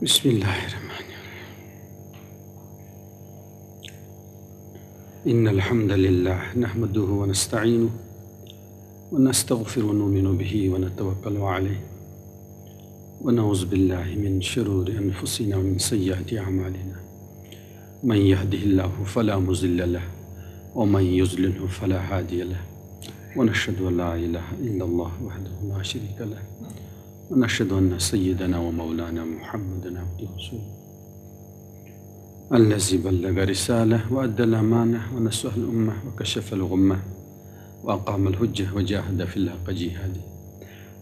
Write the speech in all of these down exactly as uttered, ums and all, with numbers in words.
بسم الله الرحمن الرحيم. إن الحمد لله نحمده ونستعينه ونستغفره ونؤمن به ونتوكل عليه ونعوذ بالله من شرور أنفسنا ومن سيئات أعمالنا. من يهده الله فلا مضل له ومن يضلله فلا هادي له. ونشهد أن لا إله إلا الله وحده لا شريك له. ونشهد أن سيدنا ومولانا محمدا عبده ورسوله. الذي بلغ الرسالة وأدى الأمانة ونصح الأمة وكشف الغمة وأقام الحجة وجاهد في الله حق جهاده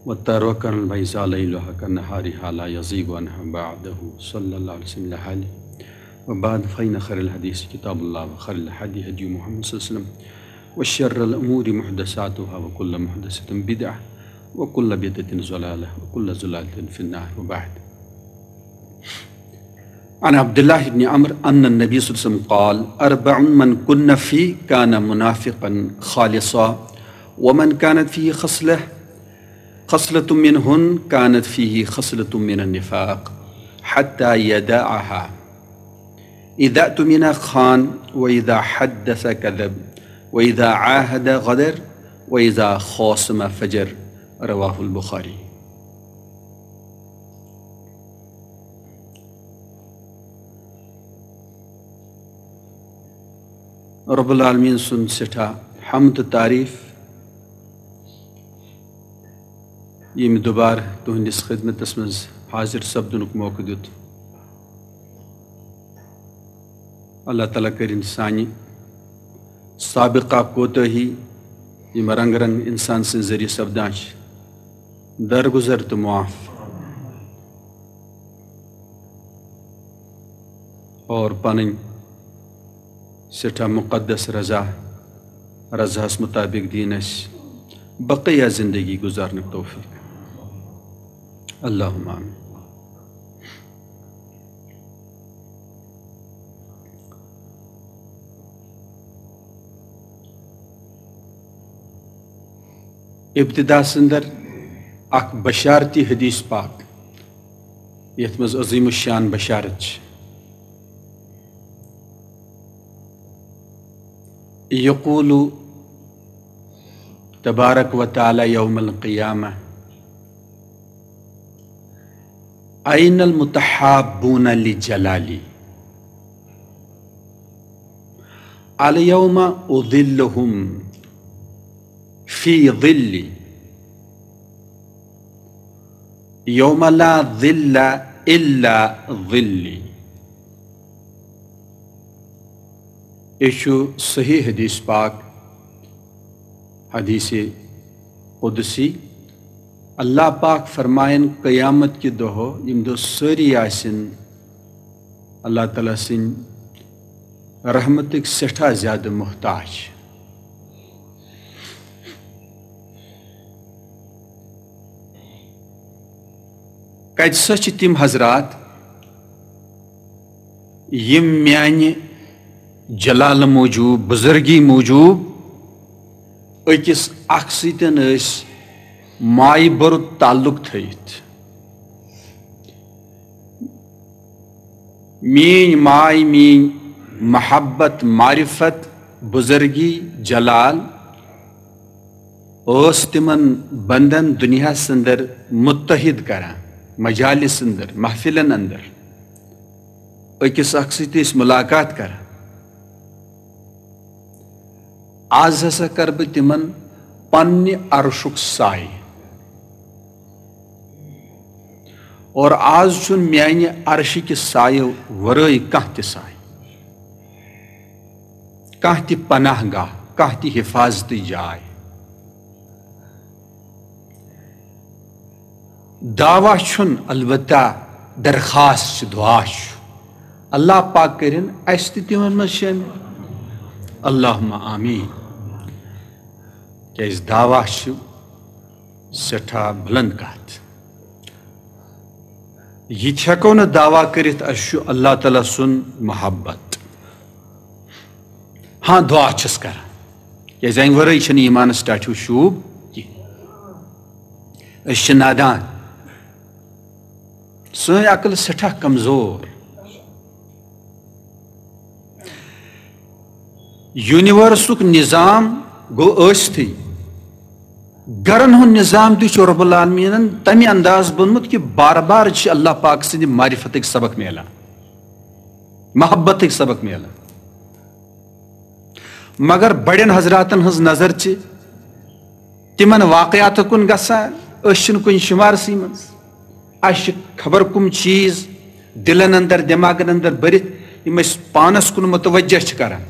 وتركنا البيضاء ليلها كنهارها لا يزيغ عنها بعده صلى الله عليه وسلم إلا هالك. وبعد، فإن خير الحديث كتاب الله وخير الهدي هدي محمد صلى الله عليه وسلم وشر الأمور محدثاتها وكل محدثة بدعة وكل بدعة ضلالة وكل ضلالة في النار. وبعد. عن عبد الله بن عمرو أن النبي صلى الله عليه وسلم قال: أربع من كن فيه كان منافقا خالصا، ومن كانت فيه خصلة، خصلة منهن كانت فيه خصلة من النفاق حتى يدعها. إذا اؤتمن خان، وإذا حدث كذب، وإذا عاهد غدر، وإذا خاصم فجر. رواه البخاري. رب العالمین سُنٛد سٮ۪ٹھاہ حمد تہٕ تعریٖف، ییٚمۍ دُبارٕ تُہنٛدِس خدمتس منٛز حٲضِر سپدنُک موقعہٕ دیُت۔ اللہ تعالیٰ کٔرِن سانہِ سابقہ کوتٲہی، یِم رنگ رنگ انسان سٕنٛدِ ذٔریعہٕ سپدان چھِ، درگُزر تہٕ معاف، اور پنٕنۍ سٮ۪ٹھاہ مقدس رضا، رضاہس مطابق دِیِن اَسہِ بقیہ زندگی گُزارنُک توفیق۔ اللہم آمین۔ ابتدا سندر اکھ بشارتی حدیث پاک، یتھ منٛز عظیم الشان بشارت چھِ۔ یقول تبارک و تعالی یوم القیامہ، أين المتحابون لجلالي؟ اليوم أظلهم في ظلي يوم لا ظل إلا ظلي۔ یہِ چھُ صحیح حدیث پاک، حدیث قدسی۔ اللہ پاک فرماین، قیامت کہِ دۄہ، ییٚمہِ دۄہ سٲری آسن اللہ تعالیٰ سٕنٛدِ رحمتٕکۍ سٮ۪ٹھاہ زیادٕ محتاج۔ کتہِ سا چھِ تِم حضرات، یِم میانہِ جلال موٗجوٗب، بُزرگی موٗجوٗب أکِس اکھ سۭتۍ ٲسۍ مایہِ بوٚرُت تعلق تھٲوِتھ؟ میٲنۍ ماے، میٲنۍ محبت، معرفت، بُزرگی، جلال ٲس تِمن بندن دُنیاہس اندر متحد کران، مجالس اندر، محفلن اندر أکِس اکھ سۭتۍ ٲسۍ ملاقات کران۔ آز ہسا کرٕ بہٕ تِمن پننہِ عرشُک سایہِ۔ اور آز چھُنہٕ میانہِ عرشہِ کہِ سایہِ ورٲے کانٛہہ تہِ سایہِ، کانٛہہ تہِ پناہ گاہ، کانٛہہ تہِ حفاظتٕچ جاے۔ دعویٰ چھُنہٕ، البتہ درخواست چھِ، دعا چھُ۔ اللہ پاک کٔرِن اَسہِ تہِ تِمن منٛز شٲمِل۔ اللہم آمین۔ کیازِ دعویٰ چھُ سٮ۪ٹھاہ بُلنٛد کتھ۔ یہِ تہِ ہٮ۪کو نہٕ دعویٰ کٔرِتھ اَسہِ چھُ اللہ تعالیٰ سُنٛد محبت۔ ہاں، دعا چھِس کران، کیازِ اَمہِ ورٲے چھِنہٕ ایٖمانس ٹاٹھیو شوٗب کینٛہہ۔ أسۍ چھِ نادان۔ سٲنۍ عقل سٮ۪ٹھاہ کمزور۔ یونیورسُک نظام گوٚو ٲستھٕے، گرن ہُنٛد نظام تہِ چھُ رب العالمیٖنن تمہِ انداز بوٚنمُت کہِ بار بار چھِ اللہ پاک سٕنٛدِ معرفتٕکۍ سبق میلان، محبتٕکۍ سبق میلان۔ مگر بڑٮ۪ن حضراتن ہٕنٛز نظر چھِ تِمن واقعاتن کُن گژھان، أسۍ چھِنہٕ کُنہِ شُمارسٕے منٛز۔ اَسہِ چھِ خبر کُم چیٖز دِلن اندر، دٮ۪ماغن اندر بٔرِتھ، یِم أسۍ پانس کُن متوجہ چھِ کران۔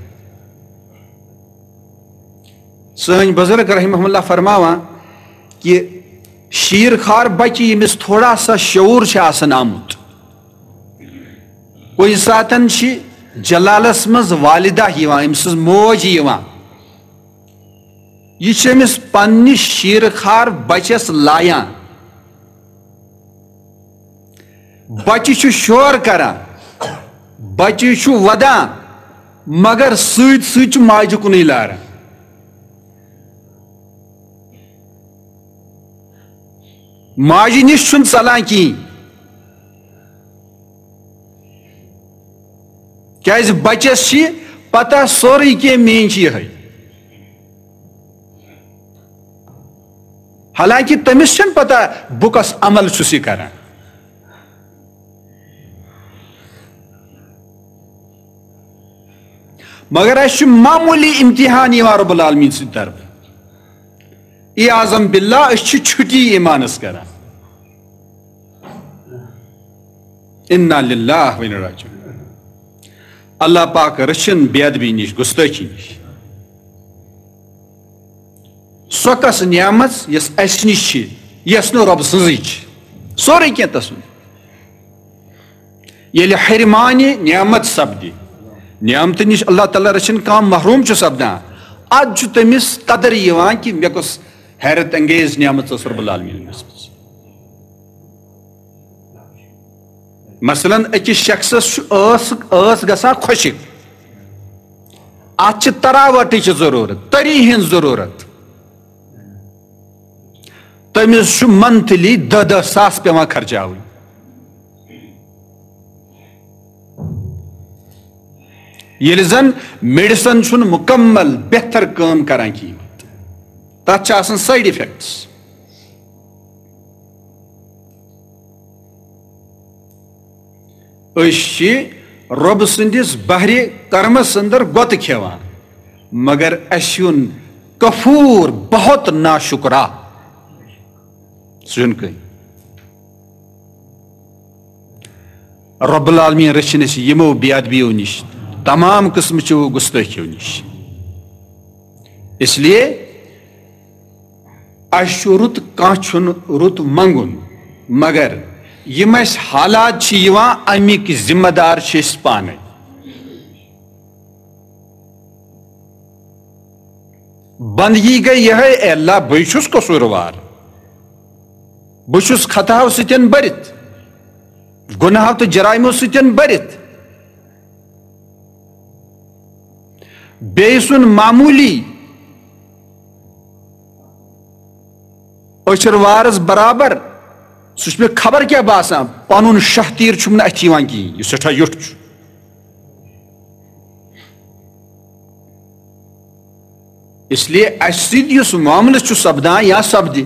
سٲنۍ بزرگ رحمہ اللہ فرماوان کہِ شیٖر خار بچہِ، ییٚمِس تھوڑا سا شعوٗر چھُ آسان آمُت، کُنہِ ساتن چھِ جلالس منٛز والدہ یِوان، أمۍ سٕنٛز موج یِوان، یہِ چھِ أمِس پننِس شیٖر خار بچس لایان۔ بچہِ چھُ شور کران، بچہِ چھُ ودان، مگر سۭتۍ سۭتۍ چھُ ماجہِ کُنُے لاران۔ ماجہِ نِش چھُنہٕ ژلان کِہیٖنۍ، کیازِ بچس چھِ پتہ سورُے کینٛہہ، میٲنۍ چھِ یِہے۔ حالانکہ تٔمِس چھَنہٕ پتہ بہٕ کۄس عمل چھُس یہِ کران۔ مگر اَسہِ چھُ معموٗلی امتحان یِوان رب العالمین سٕنٛدِ طرفہٕ۔ اعاذم باللہ، أسۍ چھِ چھُٹی ایمانس کران۔ انا للہ و انا الیہ راجعون۔ اللہ پاک رٔچھِن بے ادبی نِش، گستٲخی نِش۔ سۄ کۄس نعمت یۄس اَسہِ نِش چھِ، یۄس نہٕ رۄب سٕنٛزٕے چھِ؟ سورُے کینٛہہ تسُنٛد۔ ییٚلہِ حرمانہِ نعمت سپدِ، نعمتہٕ نِش اللہ تعالیٰ رٔچھِن کانٛہہ محروم چھُ سپدان، ادٕ چھُ تٔمِس قدر یِوان کہِ مےٚ کۄس حیرت انگیز نعمت ٲس رب العالمین دِژمٕژ۔ مثلاً أکِس شخصس چھُ ٲس، ٲس گژھان خۄشِک، اتھ چھِ تراوٹٕچ ضروٗرت، تٔری ہٕنٛز ضروٗرت۔ تٔمِس چھُ monthly دَہ دَہ ساس پٮ۪وان خرچاوٕنۍ۔ ییٚلہِ زن medicine چھُنہٕ مُکمل بہتر کٲم کران کِہیٖنۍ، تتھ چھِ آسان side effects۔ أسۍ چھِ رۄب سٕنٛدِس بحرِ کرمس اندر گۄتہٕ کھٮ۪وان، مگر اَسہِ ہیوٚن کفور، بہت ناشکرا۔ سُہ چھُنہٕ کٕہٕنۍ۔ رب العالمین رٔچھِن اَسہِ یِمو بے ادبیو نِش، تمام قٕسمٕچو گستٲخیو نِش۔ اس لیے اَسہِ چھُ رُت، کانٛہہ چھُنہٕ رُت منٛگُن، مگر یِم اَسہِ حالات چھِ یِوان، اَمِکۍ ذمہ دار چھِ أسۍ پانَے۔ بندگی گٔے یِہے، اے اللہ، بٕے چھُس قصوٗروار، بہٕ چھُس خطاہو سۭتٮ۪ن بٔرِتھ، گۄناہو تہٕ جرایمو سۭتٮ۪ن بٔرِتھ۔ بیٚیہِ سُنٛد معموٗلی أچھر وارس برابر، سُہ چھُ مےٚ خبر کیٛاہ باسان، پنُن شاہ تیٖر چھُم نہٕ اَتھِ یِوان کِہیٖنۍ، یہِ سٮ۪ٹھاہ یوٚٹھ چھُ۔ اس لیے اَسہِ سۭتۍ یُس معاملہٕ چھُ سپدان یا سپدِ،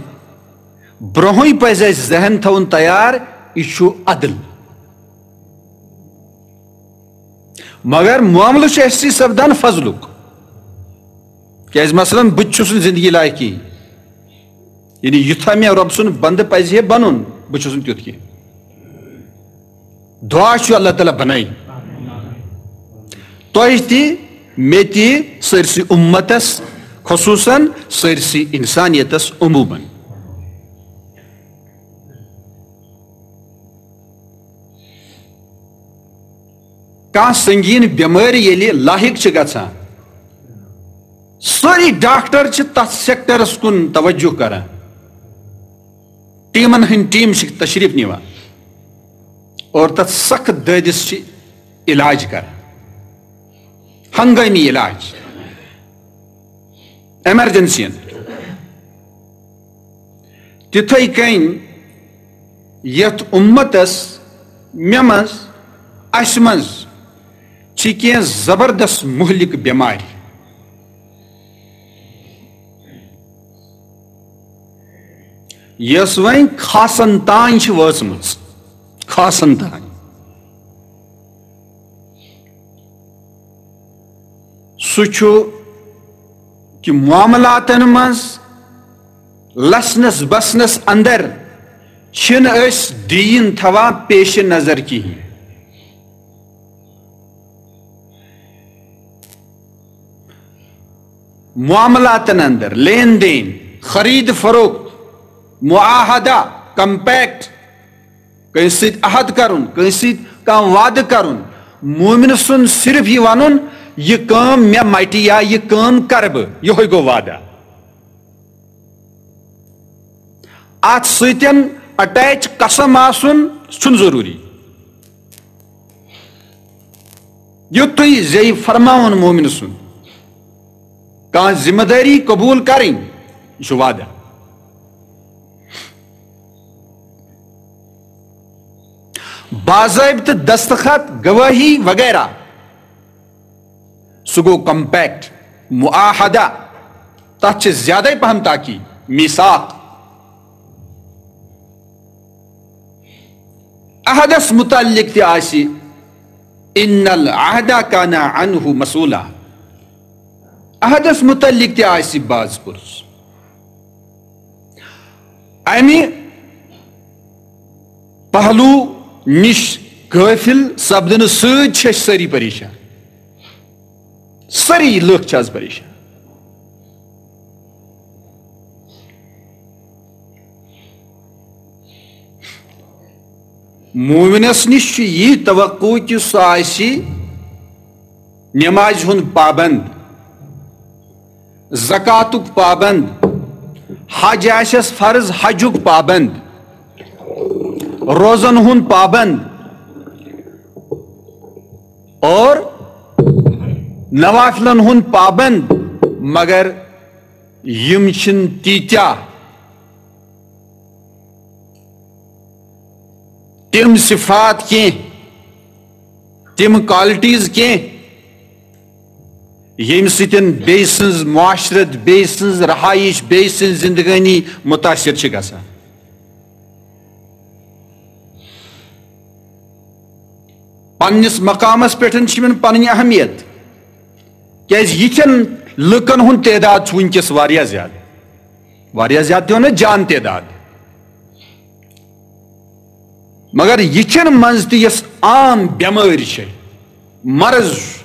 برونٛہٕے پزِ اَسہِ ذہن تھاوُن تیار، یہِ چھُ عدل۔ مگر معاملہٕ چھُ اَسہِ سۭتۍ سپدان فضلُک۔ کیازِ مثلاً بہٕ تہِ چھُس نہٕ زندگی لایق کِہیٖنۍ۔ یعنی یُتھا مےٚ رۄب سُنٛد بندٕ پزِ ہے بنُن، بہٕ چھُس نہٕ تیُتھ کینٛہہ۔ دعا چھُ اللہ تعالیٰ بنٲیِن تۄہہِ تہِ، مےٚ تہِ، سٲرسٕے اُمتس، خصوٗصاً سٲرسٕے انسانیتس عموٗماً۔ کانٛہہ سنگین بٮ۪مٲرۍ ییٚلہِ لاحق چھِ گژھان، سٲری ڈاکٹر چھِ تتھ سیکٹرس کُن توجہ کران، ٹیمن ہٕنٛدۍ ٹیم چھِ تشریف نِوان اور تتھ سخت دٲدِس چھِ علاج کران، ہنگٲمی علاج، ایمرجنسی۔ تِتھے کٔنۍ یتھ اُمتس مےٚ منٛز، اسہِ منٛز چھِ کینٛہہ زبردست مہلک بٮ۪مارِ، یۄس وۄنۍ خاصن تام چھِ وٲژمٕژ، خاصن تام۔ سُہ چھُ کہِ معاملاتن منٛز لسنس بسنس اندر چھِنہٕ أسۍ دیٖن تھاوان پیش نظر کِہیٖنۍ۔ معاملاتن اندر، لین دین، خرید فروخت، معاہدہ، کمپیکٹ، کٲنٛسہِ سۭتۍ عہد کرُن، کٲنٛسہِ سۭتۍ کانٛہہ وعدٕ کرُن، مومن سُنٛد صرف یہِ ونُن، یہِ کٲم مےٚ مٹہِ یا یہِ کٲم کرٕ بہٕ، یِہوٚے گوٚو وعدہ۔ اتھ سۭتۍ اٹیچ قسم آسُن چھُنہٕ ضروٗری۔ یُتھُے زِ یہِ فرماوُن مومن سُنٛد، کانٛہہ ذمہ دٲری قبول کرٕنۍ، یہِ چھُ وعدہ۔ باضٲبطہٕ دستخط، گوٲہی وغیرہ، سُہ گوٚو کمپیکٹ، معاہدہ، تتھ چھِ زیادَے پہم تاکید، میثاق۔ عہدس متعلق تہِ آسہِ، ان العہد کان عنہ مسئولہ، عہدس متعلق تہِ آسہِ باز پُرس۔ امہِ پہلو نِش غٲفل سپدنہٕ سۭتۍ چھِ أسۍ سٲری پریشان، سٲری لُکھ چھِ از پریشان۔ مومنس نِش چھُ یی توقع کہِ سُہ آسہِ نمازِ ہُنٛد پابند، زکاتُک پابند، حج آسٮ۪س فرض، حجُک پابند، روزن ہُنٛد پابند اور نوافلن ہُنٛد پابند، مگر یِم چھِنہٕ تیٖتیٛاہ تِم صفات کینٛہہ، تِم کوالٹیز کینٛہہ، ییٚمہِ سۭتۍ بیٚیہِ سٕنٛز معاشرت، بیٚیہِ سٕنٛز رہائش، بیٚیہِ سٕنٛز زندگٲنی متاثر چھِ گژھان۔ پننِس مقامس پٮ۪ٹھ چھِ یِمن پنٕنۍ اہمیت، کیازِ یِتھٮ۪ن لُکن ہُنٛد تعداد چھُ وٕنکیٚس واریاہ زیادٕ، واریاہ زیادٕ تہِ وَنو جان تعداد۔ مگر یِتھٮ۪ن منٛز تہِ یۄس عام بٮ۪مٲرۍ چھےٚ، مرض چھُ،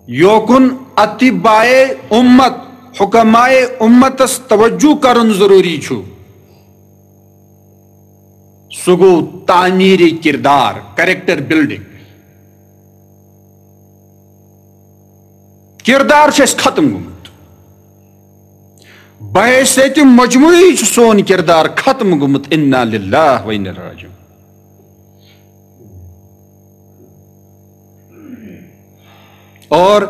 یوکُن اطبائے امت، حکمائے امتس توجہ کرُن ضروٗری چھُ، سُہ گوٚو تعمیٖرِ کردار، کریکٹر بلڈنگ۔ کردار چھُ اَسہِ ختم گوٚمُت۔ بحیثیت مجموعی چھُ سون کردار ختم گوٚمُت۔ انا للہ و انا الیہ راجعون۔ اور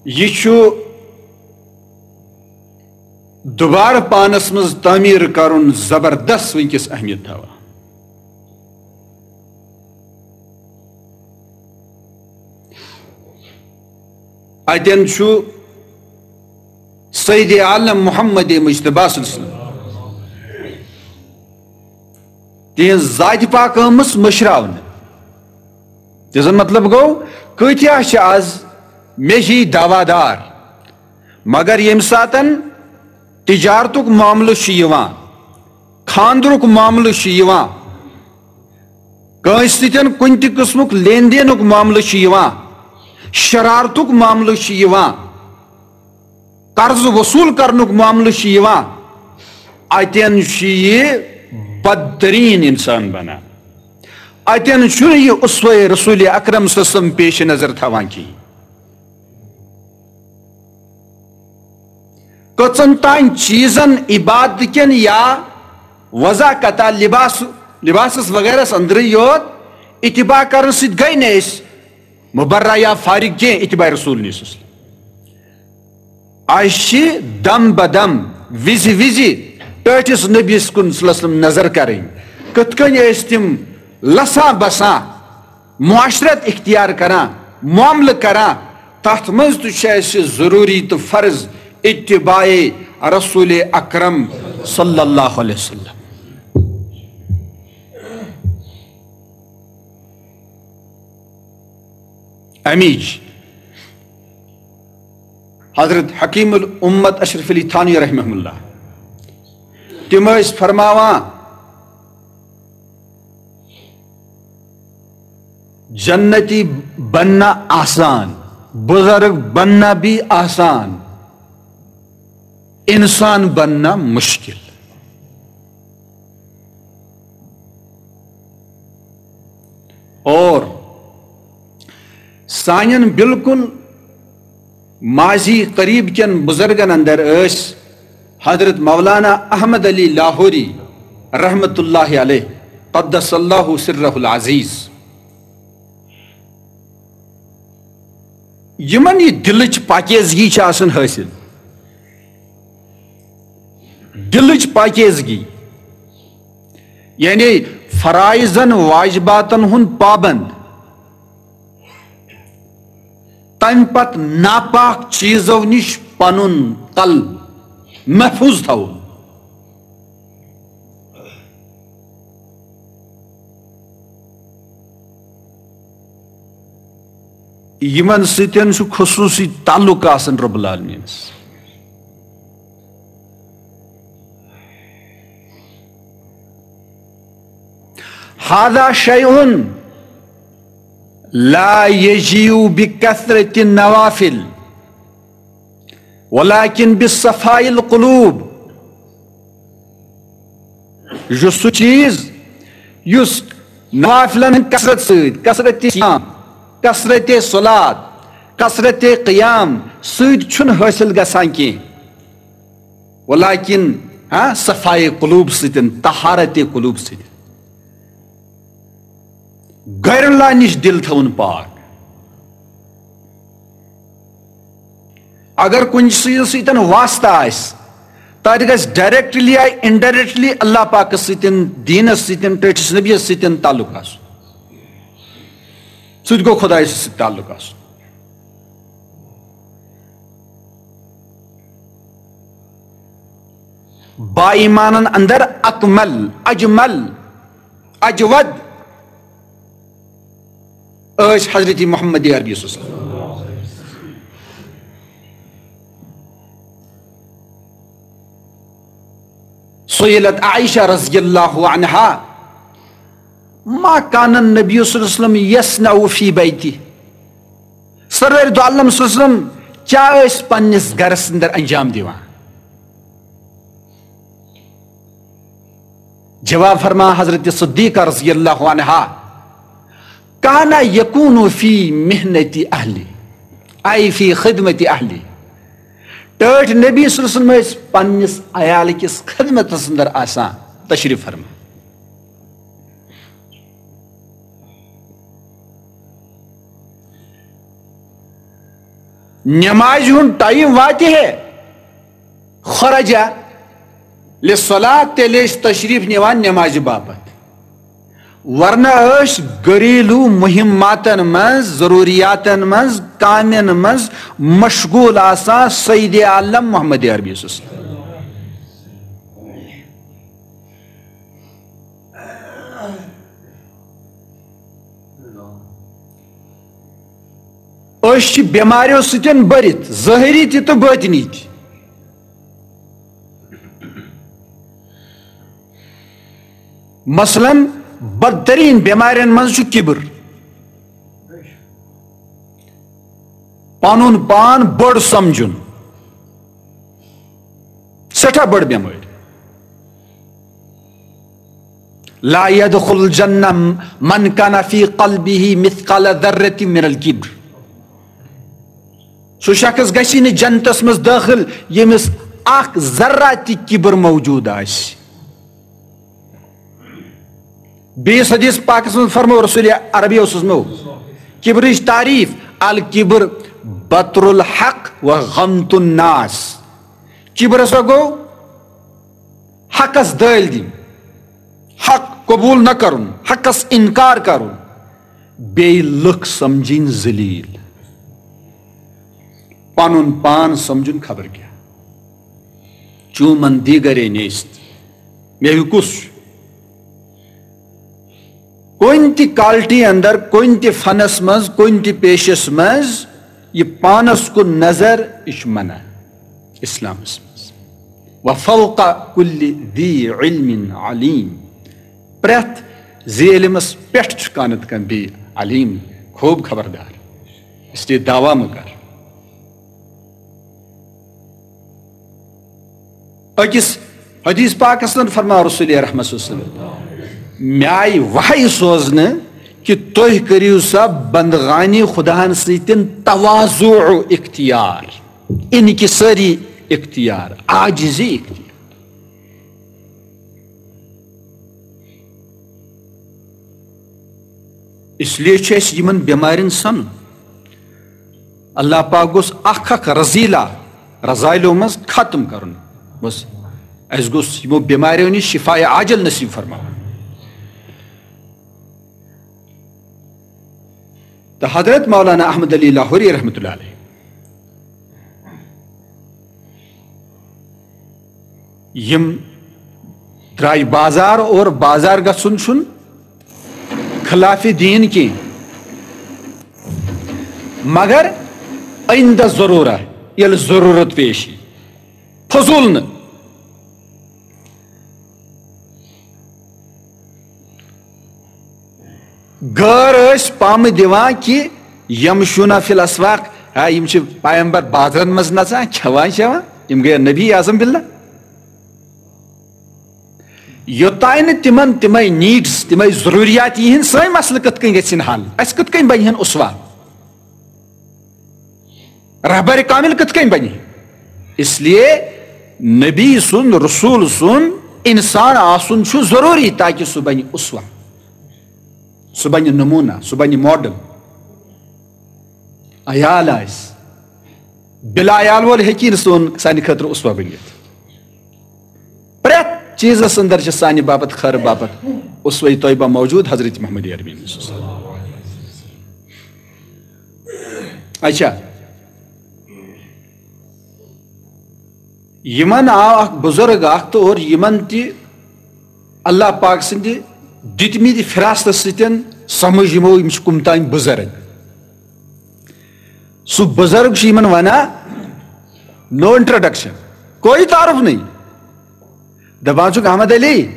یہِ چھُ دوبارٕ پانس منٛز تعمیٖر کرُن زبردست وٕنکیٚس اہمیت تھاوان۔ اتٮ۪ن چھُ سید عالم محمد مجتبیٰ صلی اللہ علیہ وسلم، تِہنٛز ذاتِ پاک آمٕژ مٔشراونہٕ۔ تہِ زن مطلب گوٚو، کۭتیاہ چھِ از مےٚ ہی دعویٰ دار، مگر ییٚمہِ ساتن تجارتُک معاملہٕ چھُ یِوان، خاندرُک معاملہٕ چھُ یِوان، کٲنٛسہِ سۭتۍ کُنہِ تہِ قٕسمُک لین دینُک معاملہٕ چھُ یِوان، شرارتُک معاملہٕ چھُ یِوان، قرض وصوٗل کرنُک معاملہٕ چھُ یِوان، اتٮ۪ن چھُ یہِ بدترین انسان بنان۔ اتٮ۪ن چھُنہٕ یہِ اسوہ رسول اکرم صلی اللہ علیہ وسلم پیش نظر تھاوان کِہیٖنۍ۔ کٔژن تام چیٖزن عبادت کٮ۪ن یا وضع قطع لباس، لباسس وغیرہس أنٛدرٕے یوت اتباع کرنہٕ سۭتۍ گٔے نہٕ أسۍ مبرہ یا فارغ کینٛہہ اتباع رسول نِش۔ اسہِ چھِ دم بدم، وِزِ وِزِ ٹٲٹھِس نبیس کُن صلی اللہ علیہ وسلم نظر کرٕنۍ، کِتھ کٔنۍ ٲسۍ تِم لسان بسان، معاشرت اختیار کران، معاملہٕ کران، تتھ منٛز تہِ چھُ اَسہِ ضروٗری تہٕ فرض اتباع رسول اکرم صلی اللہ علیہ وسلم۔ امیج حضرت حکیم الامت اشرف علی تھانوی رحمہ اللہ، تِم ٲسۍ فرماوان، جنتی بننا آسان، بزرگ بننا بھی آسان، انسان بننا مشکل۔ اور سانٮ۪ن بالکل ماضی قریب کٮ۪ن بزرگن اندر ٲسۍ حضرت مولانا احمد علی لاہوری رحمت اللہ علیہ، قدس اللہ سرہ العزیز۔ یِمن یہِ دِلٕچ پاکیزگی چھِ آسان حٲصِل، دِلٕچ پاکیزگی، یعنی فرائضن واجباتن ہُنٛد پابند، تمہِ پتہٕ ناپاک چیزو نِش پنُن قلب محفوظ تھاوُن۔ یِمن سۭتۍ چھُ خصوٗصی تعلق آسان رب العالمینس۔ هذا شيء لا يجيء بكثرة النوافل ولكن بصفاء القلوب۔ یہِ چھُ سُہ چیٖز یُس نوافلن ہٕنٛدِ کثرت سۭتۍ، کثرت صیام، کثرت صلات، کثرت قیام سۭتۍ چھُنہٕ حٲصِل گژھان کینٛہہ، ولیکن، ہاں، صفائے قلوب سۭتۍ، طہارت قلوب سۭتۍ، غیر اللہ نِش دِل تھاوُن پاک۔ اگر کُنہِ چیٖزٕ سۭتۍ واسطہٕ آسہِ، تَتہِ گژھِ ڈائریکٹلی یا انڈائریکٹلی اللہ پاکس سۭتۍ، دیٖنس سۭتۍ، ٹٲٹھِس نبیَس سۭتۍ تعلق آسُن۔ سُہ تہِ گوٚو خدایس سۭتۍ تعلق آسُن۔ با ایمانن اندر اکمل، اجمل، اجود ٲسۍ حضرت محمد عربی صلی اللہ علیہ وسلم۔ سئلت عائشہ رضی اللہ عنہا، ما کان النبی صلی اللہ علیہ وسلم یصنع فی بیتی؟ سرور دو عالم صلی اللہ علیہ وسلم کیا ٲسۍ پننِس گرس اندر انجام دِوان؟ جواب فرما حضرت صدیقہ رضی اللہ عنہا، کان یکون فی محنت اہلی، ای فی خدمت اہلی۔ ٹٲٹھۍ نبی صلی اللہ علیہ وسلم ٲسۍ پننِس عیال کِس خدمتس اندر آسان۔ تشریف فرما۔ نمازِ ہُنٛد ٹائم واتہِ ہے، خرج للصلاة، تیٚلہِ ٲسۍ تشریف نِوان نمازِ باپتھ، ورنہ ٲسۍ گھریلو مہماتن منٛز، ضروریاتن منٛز، کامٮ۪ن منٛز مشغول آسان سید عالم محمد عربی صلی اللہ علیہ وسلم۔ أسۍ چھِ بٮ۪ماریو سۭتۍ بٔرِتھ، ظٲہری تہِ تہٕ بٲطنی تہِ۔ مثلاً، بدترین بٮ۪مارٮ۪ن منٛز چھُ کِبر، پنُن پان بٔڑ سمجھُن، سٮ۪ٹھاہ بٔڑ بٮ۪مٲرۍ۔ لا يدخل الجنة من كان في قلبه مثقال ذرة من الكبر۔ سُہ شخص گژھِ نہٕ جنتس منٛز دٲخل ییٚمِس اکھ ذرہ تہِ کِبر موجود آسہِ۔ بیٚیِس حدیث پاکس منٛز فرمو رسول عربی اوسُس مو، کِبرٕچ تعریٖف، الکبر بطر الحق و غمط الناس۔ کِبر ہسا گوٚو حقس دٲلۍ دِنۍ، حق قبول نہ کرُن، حقس انکار کرُن، بیٚیہِ لُکھ سمجھِنۍ ذلیل، پنُن پان سمجھُن خبر کیٛاہ۔ چون من دیگرے نیست، مےٚ ہیوٗ کُس چھُ؟ کُنہِ تہِ quality اندر، کُنہِ تہِ فنس منٛز، کُنہِ تہِ پیشس منٛز یہِ پانس کُن نظر، یہِ چھُ منع اسلامس منٛز۔ وفوق كل ذي علم عليم۔ پرٛٮ۪تھ ذی علمس پٮ۪ٹھ چھُ کانٛہہ نتہٕ کانٛہہ بیٚیہِ علیم، خوب خبردار۔ اس لیے دعویٰ مہ کر۔ أکِس حدیث پاکس منٛز فرماو رسول رحمت صلی اللہ علیہ وسلم، مےٚ آیہِ وحی سوزنہٕ کہِ تُہۍ کٔرِو سا بندگانی خداہن سۭتۍ تواضع اختیار، انکساری اختیار، عاجزی اختیار۔ اس لیے چھُ اَسہِ یِمن بٮ۪مارٮ۪ن سَنُن۔ اللہ پاک گوٚژھ اکھ اکھ رذیلہ رذایلو منٛز ختم کرُن۔ بس، اَسہِ گوٚژھ یِمو بٮ۪ماریو نِش شفاء عاجل نصیب فرماوُن۔ تہٕ حضرت مولانا احمد علی لاہوری رحمتہ اللہ علیہ، یِم درٛاے بازار، اور بازار گژھُن چھُنہٕ خلاف دین کینٛہہ، مگر عند ضرورہ، ییٚلہِ ضروٗرت پیش یی، فضوٗل نہٕ۔ غٲر ٲسۍ پامہٕ دِوان کہِ یمشون فی الاسواق، ہا، یِم چھِ پیغمبر بازرن منٛز نژان، کھٮ۪وان چٮ۪وان، یِم گٔے نبی اعظم باللہ۔ یوٚتانۍ نہٕ تِمن تِمے نیڈس، تِمے ضروٗریات یِہنٛد، سٲنۍ مسلہٕ کِتھ کٔنۍ گژھن حل؟ اسہِ کِتھ کٔنۍ بنہِ ہن اسوہ؟ رہبر کامل کِتھ کٔنۍ بنہِ؟ اس لیے نبی سُنٛد، رسول سُنٛد انسان آسُن چھُ ضروٗری، تاکہِ سُہ بنہِ اسوہ، سُہ بنہِ نمونہ، سُہ بنہِ ماڈل۔ عیال آسہِ، بلا عیال وول ہیٚکہِ نہٕ سون، سانہِ خٲطرٕ اسوہ بٔنِتھ۔ پرٛٮ۪تھ چیٖزس اندر چھِ سانہِ باپتھ، خٲرٕ باپتھ اسوہ طیبہ موجود، حضرت محمد عربی۔ اچھا، یِمن آو اکھ بُزرگ اکھ تہٕ اور یِمن تہِ اللہ پاک سٕنٛدِ دِتمٕتۍ فراستس سۭتۍ سمجھ یِمو، یِم چھِ کُم تام بُزرگ۔ سُہ بُزرگ چھُ یِمن ونان، نو انٹروڈکشن، کوئی تعارف نہیں۔ دپان چھُکھ، احمد علی،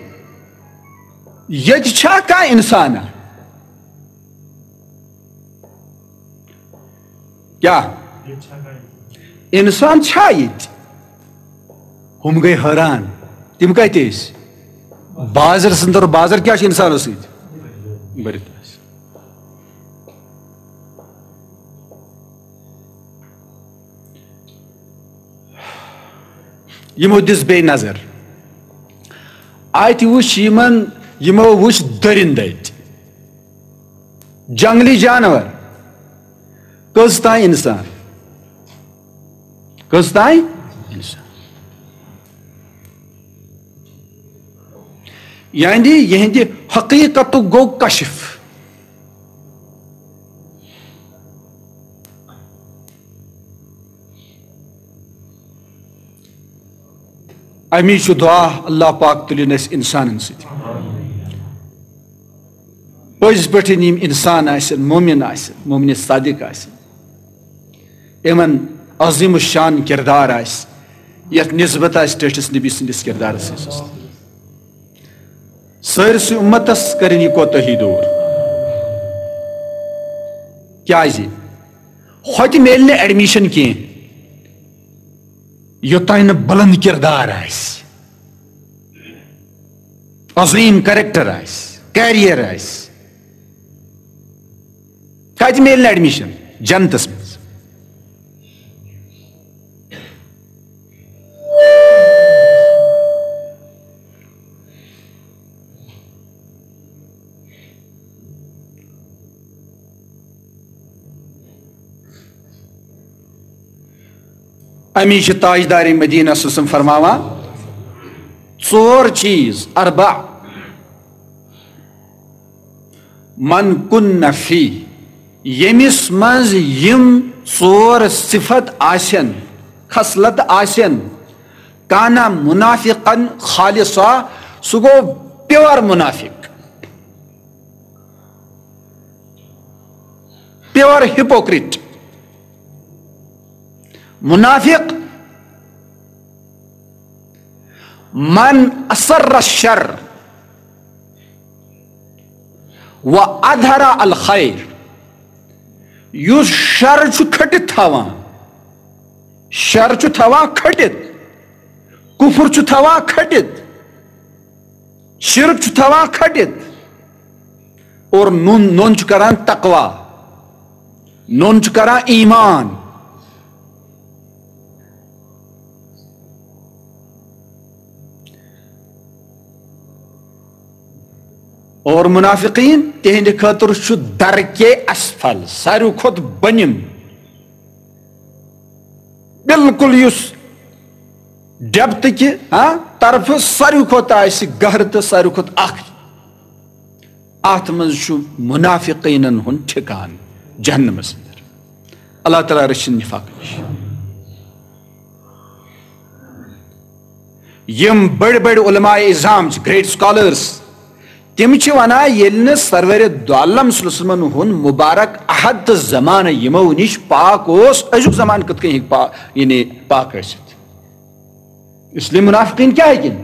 ییٚتہِ چھا کانٛہہ انسانا؟ کیٛاہ؟ انسان چھا ییٚتہِ؟ ہُم گٔے حٲران۔ تِم کتہِ ٲسۍ؟ بازر سٕنٛدر، بازر کیٛاہ چھُ انسانس سۭتۍ؟ بٔرِتھ آسہِ۔ یِمو دِژ بیٚیہِ نظر۔ اَتہِ وٕچھ یِمن، یِمو وٕچھ دٔرِنٛدٕ اَتہِ، جنگلی جانور، کٔژ تام اِنسان، کٔژ تام اِنسان۔ یعنی یِہنٛدِ حقیٖقتُک گوٚو کشف۔ امی چھُ دعا، اللہ پاک تُلِن اَسہِ اِنسانن سۭتۍ۔ پٔزۍ پٲٹھۍ یِم اِنسان آسن، مومِن آسن، مومِن صادق آسن، یِمن عظیم الشان کردار آسہِ، یتھ نسبت آسہِ ٹٲٹھِس نبی سٕنٛدِس کردارس سۭتۍ۔ سٲرسٕے اُمتس کٔرِن یہِ کوتٲہی دوٗر۔ کیازِ؟ ہوتہِ میلہِ نہٕ ایڈمیشن کینٛہہ، یوٚتام نہٕ بلند کردار آسہِ، عظیم کریکٹر آسہِ، کیریئر آسہِ۔ کتہِ میلہِ نہٕ ایڈمیشن؟ جنتس منٛز۔ امی چھِ تاجدار مدینہ صلی اللہ علیہ وسلم فرماوان، ژور چیٖز، اربع، من کن فی، ییٚمِس منٛز یِم ژور صفت آسن، خصلت آسن، کانا منافقا خالصا، سُہ گوٚو پیور منافق، پیور ہپوکریٹ۔ منافق، من اسر الشر و اظہر الخیر، یُس شر چھُ کھٹِتھ تھاوان، شر چھُ تھاوان کھٹِتھ، کفر چھُ تھاوان کھٹِتھ، شرک چھُ تھاوان کھٹِتھ، اور نوٚن، نوٚن چھُ کران تقوی، نوٚن چھُ کران ایمان۔ اور منافقین، تِہنٛدِ خٲطرٕ چھُ درکے اسفل، ساروی کھۄتہٕ بۄنِم، بالکل یُس ڈیپتھ کہِ، ہاں، طرفہٕ ساروی کھۄتہٕ آسہِ گہرٕ تہٕ ساروی کھۄتہٕ ٲخری۔ اتھ منٛز چھُ منافقینن ہُنٛد ٹھکان جہنمس اندر۔ اللہ تعالیٰ رٔچھِن نفاق نِش۔ یِم بٔڑۍ بٔڑۍ علماء عظام چھِ، گریٹ سکالرز، تِم چھِ ونان، ییٚلہِ نہٕ سرور دو عالم صلی اللہ علیہ وسلمن ہُنٛد مبارک عہد تہٕ زمانہٕ یِمو نِش پاک اوس، أزیُک زمانہٕ کِتھ کٔنۍ ہیٚکہِ پا-، یعنی پاک ٲسِتھ؟ اس لیے منافقین کیٛاہ ہیٚکن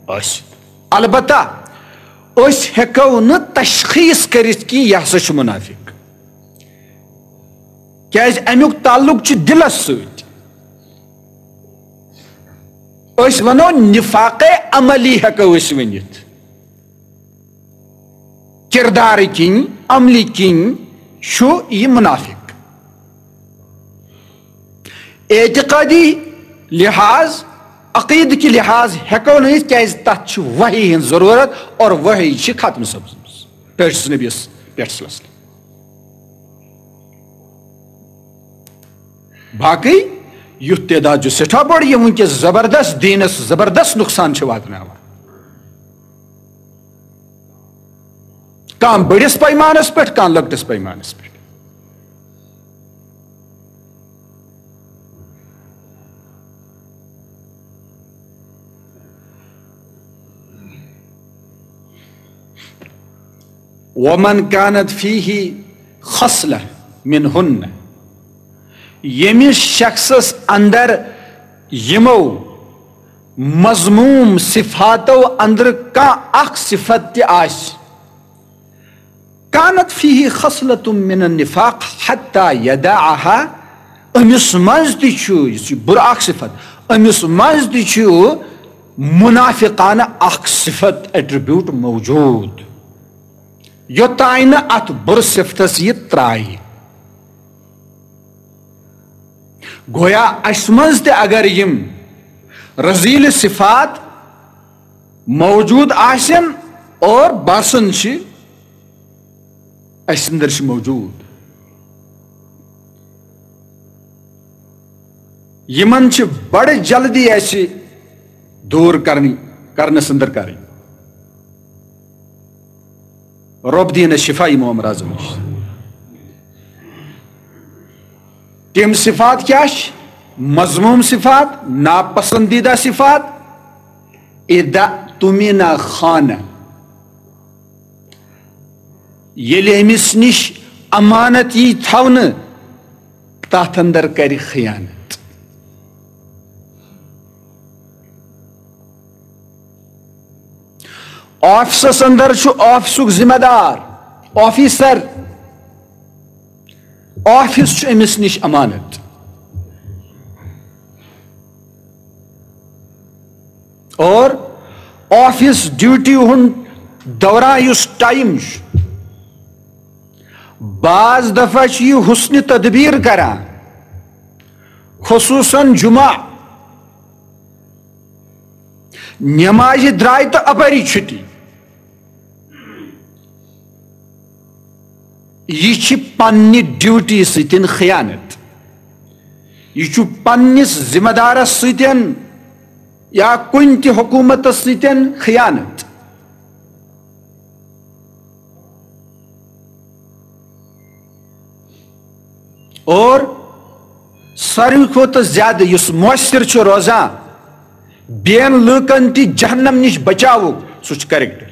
ٲسِتھ؟ البتہ أسۍ ہیٚکو نہٕ تشخیص کٔرِتھ کہِ یہِ ہسا چھُ منافق، کیٛازِ امیُک تعلق چھُ دِلس سۭتۍ۔ أسۍ ونو نفاق عملی ہیٚکو أسۍ ؤنِتھ، کردار کِنۍ، عملی کِنۍ چھُ یہِ منافق۔ اعتقادی لحاظ، عقیدٕ کہِ لحاظ ہیٚکو نہٕ أسۍ، کیٛازِ تتھ چھِ وحی ہٕنٛز ضروٗرت اور وحی چھِ ختم سپٕزمٕژ ٹٲٹھِس نبیَس پٮ۪ٹھ صلی اللہ علیہ وسلم۔ باقٕے یُتھ تعداد چھُ سٮ۪ٹھاہ بوٚڑ، یِم وٕنکیٚس زبردست دیٖنس زبردست نۄقصان چھِ واتناوان، کانٛہہ بٔڑِس پیمانس پٮ۪ٹھ، کانٛہہ لۄکٹِس پیمانس پٮ۪ٹھ۔ ومن كانت فيه خصلة منهن، ییٚمِس شخصس اندر یِمو مذموم صفاتو اندر کانٛہہ اکھ صفت تہِ آسہِ، كانت فيه خصلة من النفاق حتى يدعها، أمِس منٛز تہِ چھُ، یُس یہِ بُرٕ اکھ صفت، أمِس منٛز تہِ چھُ منافقانہٕ اکھ صفت، ایٹریبیوٹ موجود، یوٚتام نہٕ اتھ بُرٕ صفتس یہِ ترایہِ۔ گویا اسہِ منٛز تہِ اگر یِم رذیل صفات موجود آسن اور باسان چھِ، اسہِ اندر چھِ موجود، یِمن چھِ بڑٕ جلدی اسہِ دور کرنی، کرنس اندر کرٕنۍ۔ رب دین شفا امام اعظم نِش۔ تِم صفات کیٛاہ چھِ؟ مذموم صفات، ناپسندیدہ صفات۔ اذا اؤتمن خان، ییٚلہِ أمِس نِش امانت یی تھاونہٕ، تتھ اندر کرِ خیانت۔ آفسس اندر چھُ آفسُک ذمہ دار، آفیسر، آفس چھُ أمِس نِش امانت۔ اور آفس ڈیوٹی ہُنٛد دوران یُس ٹائم چھُ، بعض دفعہ چھُ یہِ حسن تدبیر کران، خصوصاً جمعہ نمازِ درٛاے تہٕ اپٲری چھُٹی۔ یہِ چھِ پننہِ ڈیوٹی سۭتۍ خیانت، یہِ چھُ پننِس ذمہ دارس سۭتۍ یا کُنہِ تہِ حکومتس سۭتۍ خیانت۔ اور ساروی کھۄتہٕ زیادٕ یُس مؤثر چھُ روزان، بین لوٗکن تہِ جہنم نِش بچاوُک، سُہ چھُ کریکٹر۔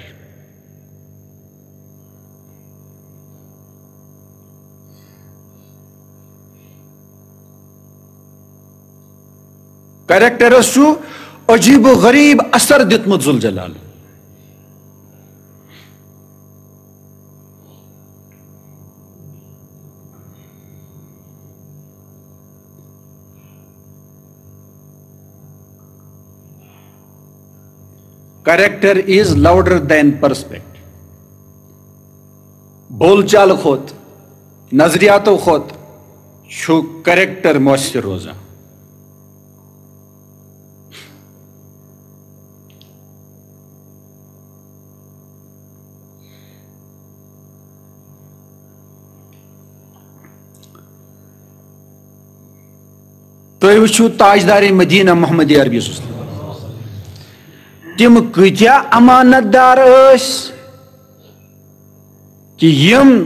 کریکٹرس چھُ عجیب و غریب اثر دیُتمُت ذوالجلال۔ Character is louder than perspective. بول چال کھۄتہٕ، نظریاتو کھۄتہٕ چھُ کریکٹر مؤثر روزان۔ تُہۍ وٕچھِو تاجدار مدینہ محمد عربی صلی اللہ علیہ وسلم، تِم کۭتیاہ امانت دار ٲسۍ، کہِ یِم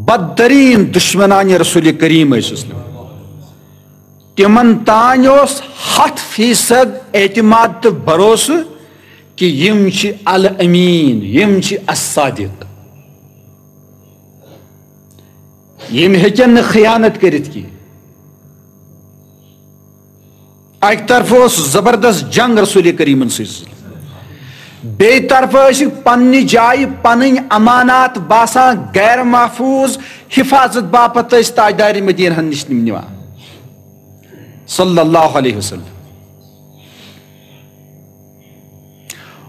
بدترین دشمنان رسول کریم ٲسۍ، تِمن تانۍ اوس ہتھ فیصد اعتماد تہٕ بھروسہٕ کہِ یِم چھِ الامین، یِم چھِ الصادق، یِم ہیٚکن نہٕ خیانت کٔرِتھ کینٛہہ۔ اکہِ طرفہٕ اوس زبردست جنگ رسول کریمن سۭتۍ، بیٚیہِ طرفہٕ ٲسِکھ پننہِ جایہِ پنٕنۍ امانات باسان غیر محفوظ، حفاظت باپتھ ٲسۍ تاجدار مدینہ ہن نِش تِم نِوان، صلی اللہ علیہ وسلم۔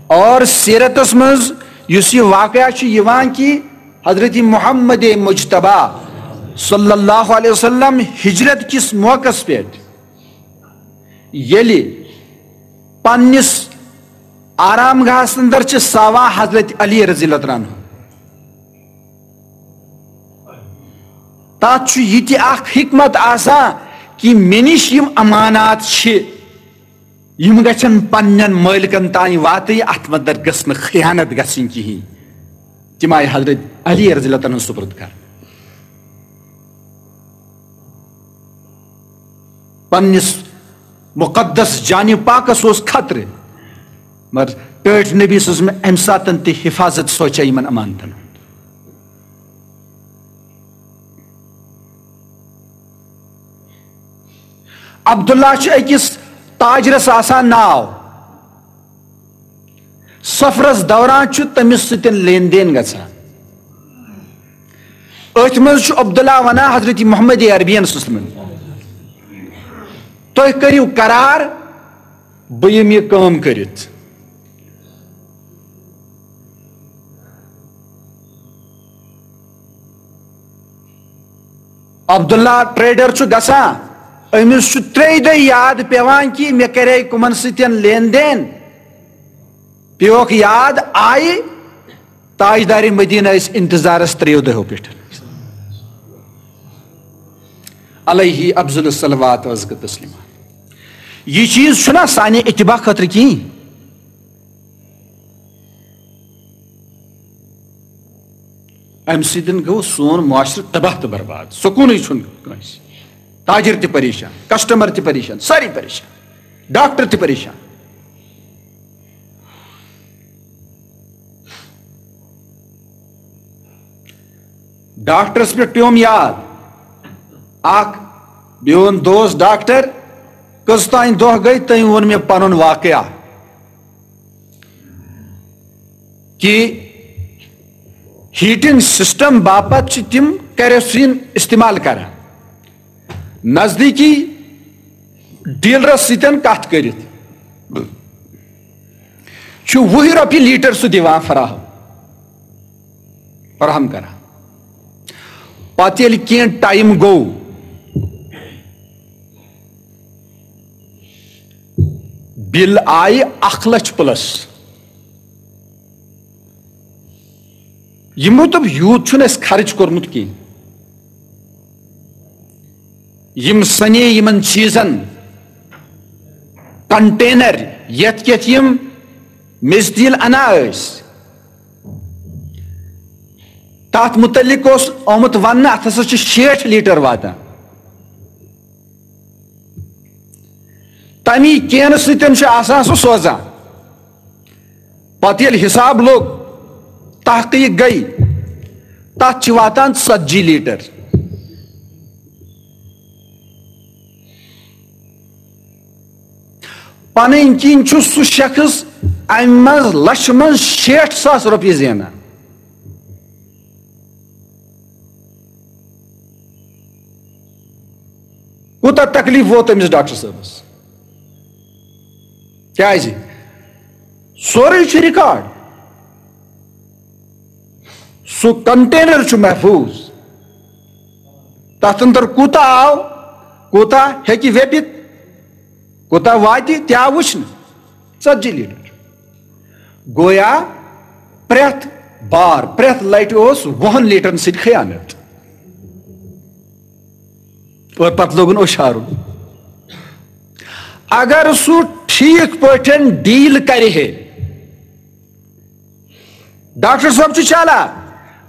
اور سیرتس منٛز یُس یہِ واقعہ چھُ یِوان کہِ حضرت محمد مجتبیٰ صلی اللہ علیہ وسلم ہجرت کِس موقعس پٮ۪ٹھ ییٚلہِ پننِس آرام گاہس اندر چھِ ساوان حضرت علی رضی اللہ تعالیٰ عنہ، تتھ چھُ یہِ تہِ اکھ حکمت آسان کہِ مےٚ نِش یِم امانات چھِ، یِم گژھن پننٮ۪ن مٲلکن تام واتٕنۍ، اتھ منٛز گٔژھ نہٕ خیانت گژھٕنۍ کِہیٖنۍ۔ تِم آیہِ حضرت علی رضی اللہ تعالیٰ عنہ سپرد کرنہٕ۔ پننِس مقدس جانِ پاکس اوس خطرٕ، مگر ٹٲٹھۍ نبی صلی اللہ علیہ وسلم امہِ ساتن تہِ حفاظت سوچے یِمن امانتن ہُنٛد۔ عبداللہ چھُ أکِس تاجرس آسان ناو، سفرس دوران چھُ تٔمِس سۭتۍ لین دین گژھان۔ أتھۍ منٛز چھُ عبداللہ ونان حضرت محمد عربین صلی اللہ علیہ وسلم، تُہۍ کٔرِو قرار، بہٕ یِمہٕ یہِ کٲم کٔرِتھ۔ عبداللہ ٹریڈر چھُ گژھان، أمِس چھُ ترٛیٚیہِ دۄہہِ یاد پٮ۪وان کہِ مےٚ کرے کٕمن سۭتۍ لین دین، پیوکھ یاد، آیہِ تاجدار مدینہ ٲسۍ انتظارس ترٛیٚیو دۄہو پٮ۪ٹھ۔ علیہ افضل الصلوات و ازکی تسلیمات۔ یہِ چیٖز چھُنہ سانہِ اتباع خٲطرٕ کِہیٖنۍ۔ امہِ سۭتۍ گوٚو سون معاشرٕ تباہ تہٕ برباد، سکوٗنٕے چھُنہٕ کٲنٛسہِ۔ تاجر تہِ پریشان، کسٹمر تہِ پریشان، سٲری پریشان، ڈاکٹر تہِ پریشان۔ ڈاکٹرس پٮ۪ٹھ پیوم یاد، اکھ میون دوست ڈاکٹر، کٔژ تام دۄہ گٔے، تٔمۍ ووٚن مےٚ پنُن واقعہ کہِ ہیٹنگ سسٹم باپتھ چھِ تِم کیروسین استعمال کران۔ نزدیکی ڈیلرس سۭتۍ کتھ کٔرِتھ چھُ وُہ رۄپیہِ لیٹر سُہ دِوان فراہم، فراہم کران۔ پتہٕ ییٚلہِ کینٛہہ ٹایم گوٚو، بِل آیہِ اکھ لچھ پلس۔ یِمو دوٚپ، یوٗت چھُنہٕ اَسہِ خرٕچ کوٚرمُت کینٛہہ۔ یِم سَنے یِمن چیٖزن کنٹینر، یَتھ یَتھ یِم میٚژِ تیٖل اَنان ٲسۍ، تَتھ مُتعلِق اوس آمُت وَننہٕ، اَتھ ہسا چھِ شیٹھ لیٖٹر واتان۔ تَمی کینہٕ سۭتۍ چھُ آسان سُہ سوزان۔ پتہٕ ییٚلہِ حساب لوٚگ، تحقیق گٔے، تَتھ چھِ واتان ژتجی لیٖٹر۔ پنٕنۍ کِنۍ چھُ سُہ شخص امہِ منٛز لچھِ منٛز شیٹھ ساس رۄپیہِ زینان۔ کوٗتاہ تکلیف ووت أمِس ڈاکٹر صٲبس؟ کیازِ؟ سورُے چھُ ریکارڈ۔ سُہ کنٹینر چھُ محفوظ۔ تَتھ اندر کوٗتاہ آو، کوٗتاہ ہیٚکہِ ویپِتھ، کوٗتاہ واتہِ، تہِ آو وٕچھنہٕ۔ ژتجی لیٖٹر۔ گویا پرٛٮ۪تھ بار، پرٛٮ۪تھ لٹہِ اوس وُہن لیٖٹرن سۭتۍ خیانت۔ اور پتہٕ لوگُن اوٚش ہارُن۔ اگر سُہ ٹھیٖک پٲٹھۍ ڈیل کرِ ہے، ڈاکٹر صٲب چھُ چالاک،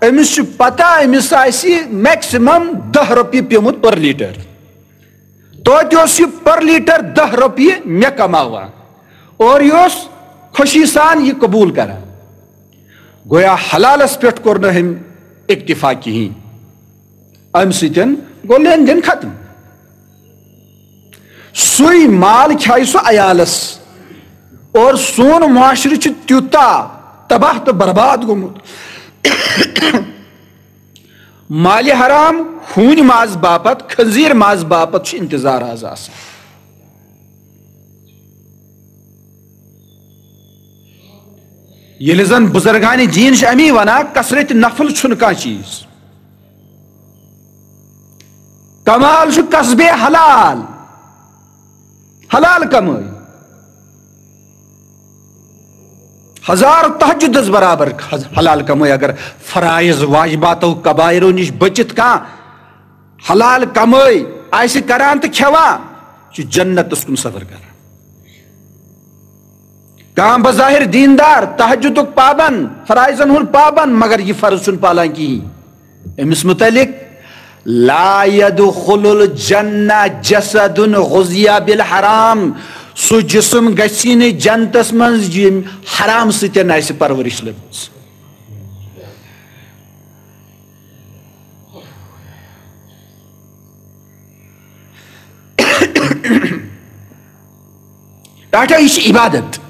أمِس چھُ پتہ أمِس آسہِ میکسیمم دَہ رۄپیہِ پیومُت پر لیٖٹر۔ توتہِ اوس یہِ پر لیٖٹر دَہ رۄپیہِ مےٚ کماوان اور یہِ اوس خوشی سان یہِ قبوٗل کران۔ گویا حلالس پٮ۪ٹھ کوٚر نہٕ أمۍ اکتفا کِہیٖنۍ۔ امہِ سۭتۍ گوٚو لین دین ختم۔ سُے مال کھیایہِ سُہ عیالس۔ اور سون معاشرٕ چھُ تیوٗتاہ تباہ تہٕ برباد گوٚمُت۔ مالِ حرام، ہوٗنۍ ماز باپتھ، خنزیر ماز باپتھ چھُ انتظار آز آسان۔ ییٚلہِ زن بزرگان دین چھِ امی ونان، کثرت نفل چھُنہٕ کانٛہہ چیٖز۔ کمال چھُ کسبِ حلال، حلال کمٲے۔ ہزار تہجدس برابر حلال کمٲے۔ اگر فرائض واجباتو کبائرو نِش بٔچِتھ کانٛہہ حلال کمٲے آسہِ کران تہٕ کھٮ۪وان، چھُ جنتس کُن سفر کران۔ کانٛہہ بظاہر دیندار، تہجدُک پابند، فرائضن ہُنٛد پابند، مگر یہِ فرض چھُنہٕ پالان کِہیٖنۍ۔ أمِس مُتعلِق، "لا يدخل الجنة جسد غذي بالحرام"، سُہ جسم گژھِ نہٕ جنتس منٛز ییٚمۍ حرام سۭتۍ آسہِ پرورش لٔبمٕژ۔ ٹاٹا، یہِ چھِ عبادت۔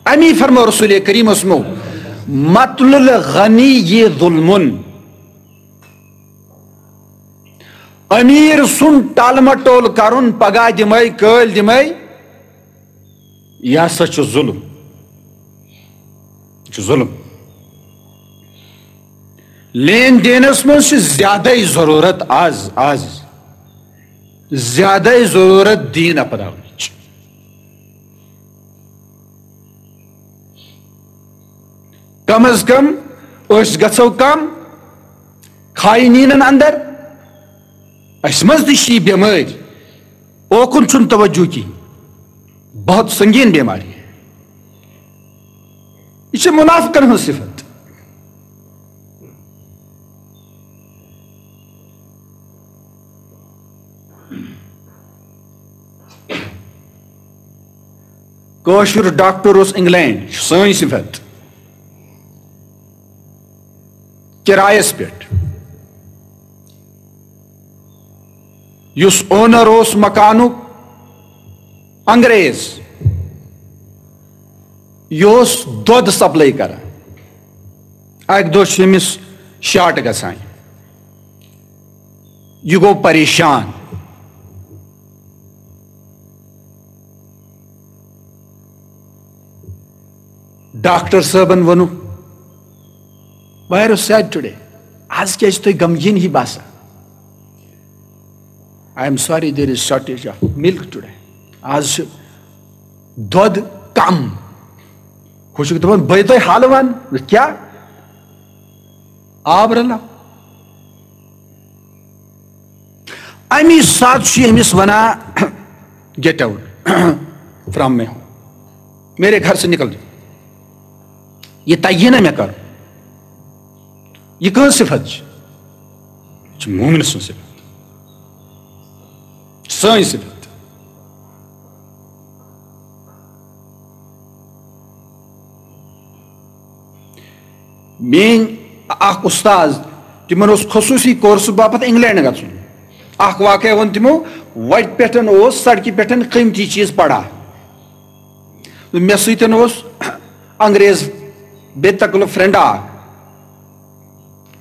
امی فرمو رسول کریم اسمو، "مطل الغنی یہ ظلمن"۔ امیر سُنٛد ٹال مٹول کرُن، پگاہ دِمے، کٲلۍ دِمے، یہِ ہسا چھُ ظلم۔ یہِ چھُ ظلم۔ لین دینس منٛز چھِ زیادَے ضروٗرت آز، آز زیادَے ضروٗرت دین اپناونٕچ۔ کم از کم أسۍ گژھو کم خاینینن اندر۔ اسہِ منٛز تہِ چھِ یہِ بٮ۪مٲرۍ، اوکُن چھُنہٕ توجہ کِہیٖنۍ۔ بہت سنگین بیماری ہے۔ یہِ چھِ منافقن ہٕنٛز صفت۔ کٲشُر ڈاکٹر اوس انگلینڈ، یہِ چھِ سٲنۍ صفت۔ کرایس پٮ۪ٹھ۔ یُس اونر اوس مکانُک، انگریز، یہِ اوس دۄد سپلاے کران۔ اکہِ دۄہ چھُ أمِس شارٹ گژھان، یہِ گوٚو پریشان۔ ڈاکٹر صٲبن ووٚنُکھ، "Why are you sad today? آز کیازِ چھِ تُہۍ غمگیٖن ہی باسان؟" "I am sorry, there is shortage of milk today." آز چھُ دۄد کم۔ ہُہ چھُکھ دَپان، "بہٕ ہے تۄہہِ حالہٕ وَنہٕ، کیٛاہ؟" آب رَلاو۔ اَمی ساتہٕ چھُ أمِس وَنان، "Get out from my home, میرے گھر سے نکل جاؤ، یہِ تَگہِ نہ مےٚ کَرُن۔" یہِ کٕہٕنٛز صفت چھِ؟ یہِ چھِ مومن سٕنٛز صفت، سٲنۍ صفت۔ میٲنۍ اکھ استاد، تِمن اوس خصوٗصی کورسہٕ باپتھ انگلینڈ گژھُن۔ اکھ واقعہ ووٚن تِمو، وتہِ پٮ۪ٹھ اوس سڑکہِ پٮ۪ٹھ قۭمتی چیٖز پڑا۔ مےٚ سۭتۍ اوس انگریز بے تکلف فرینڈ اکھ۔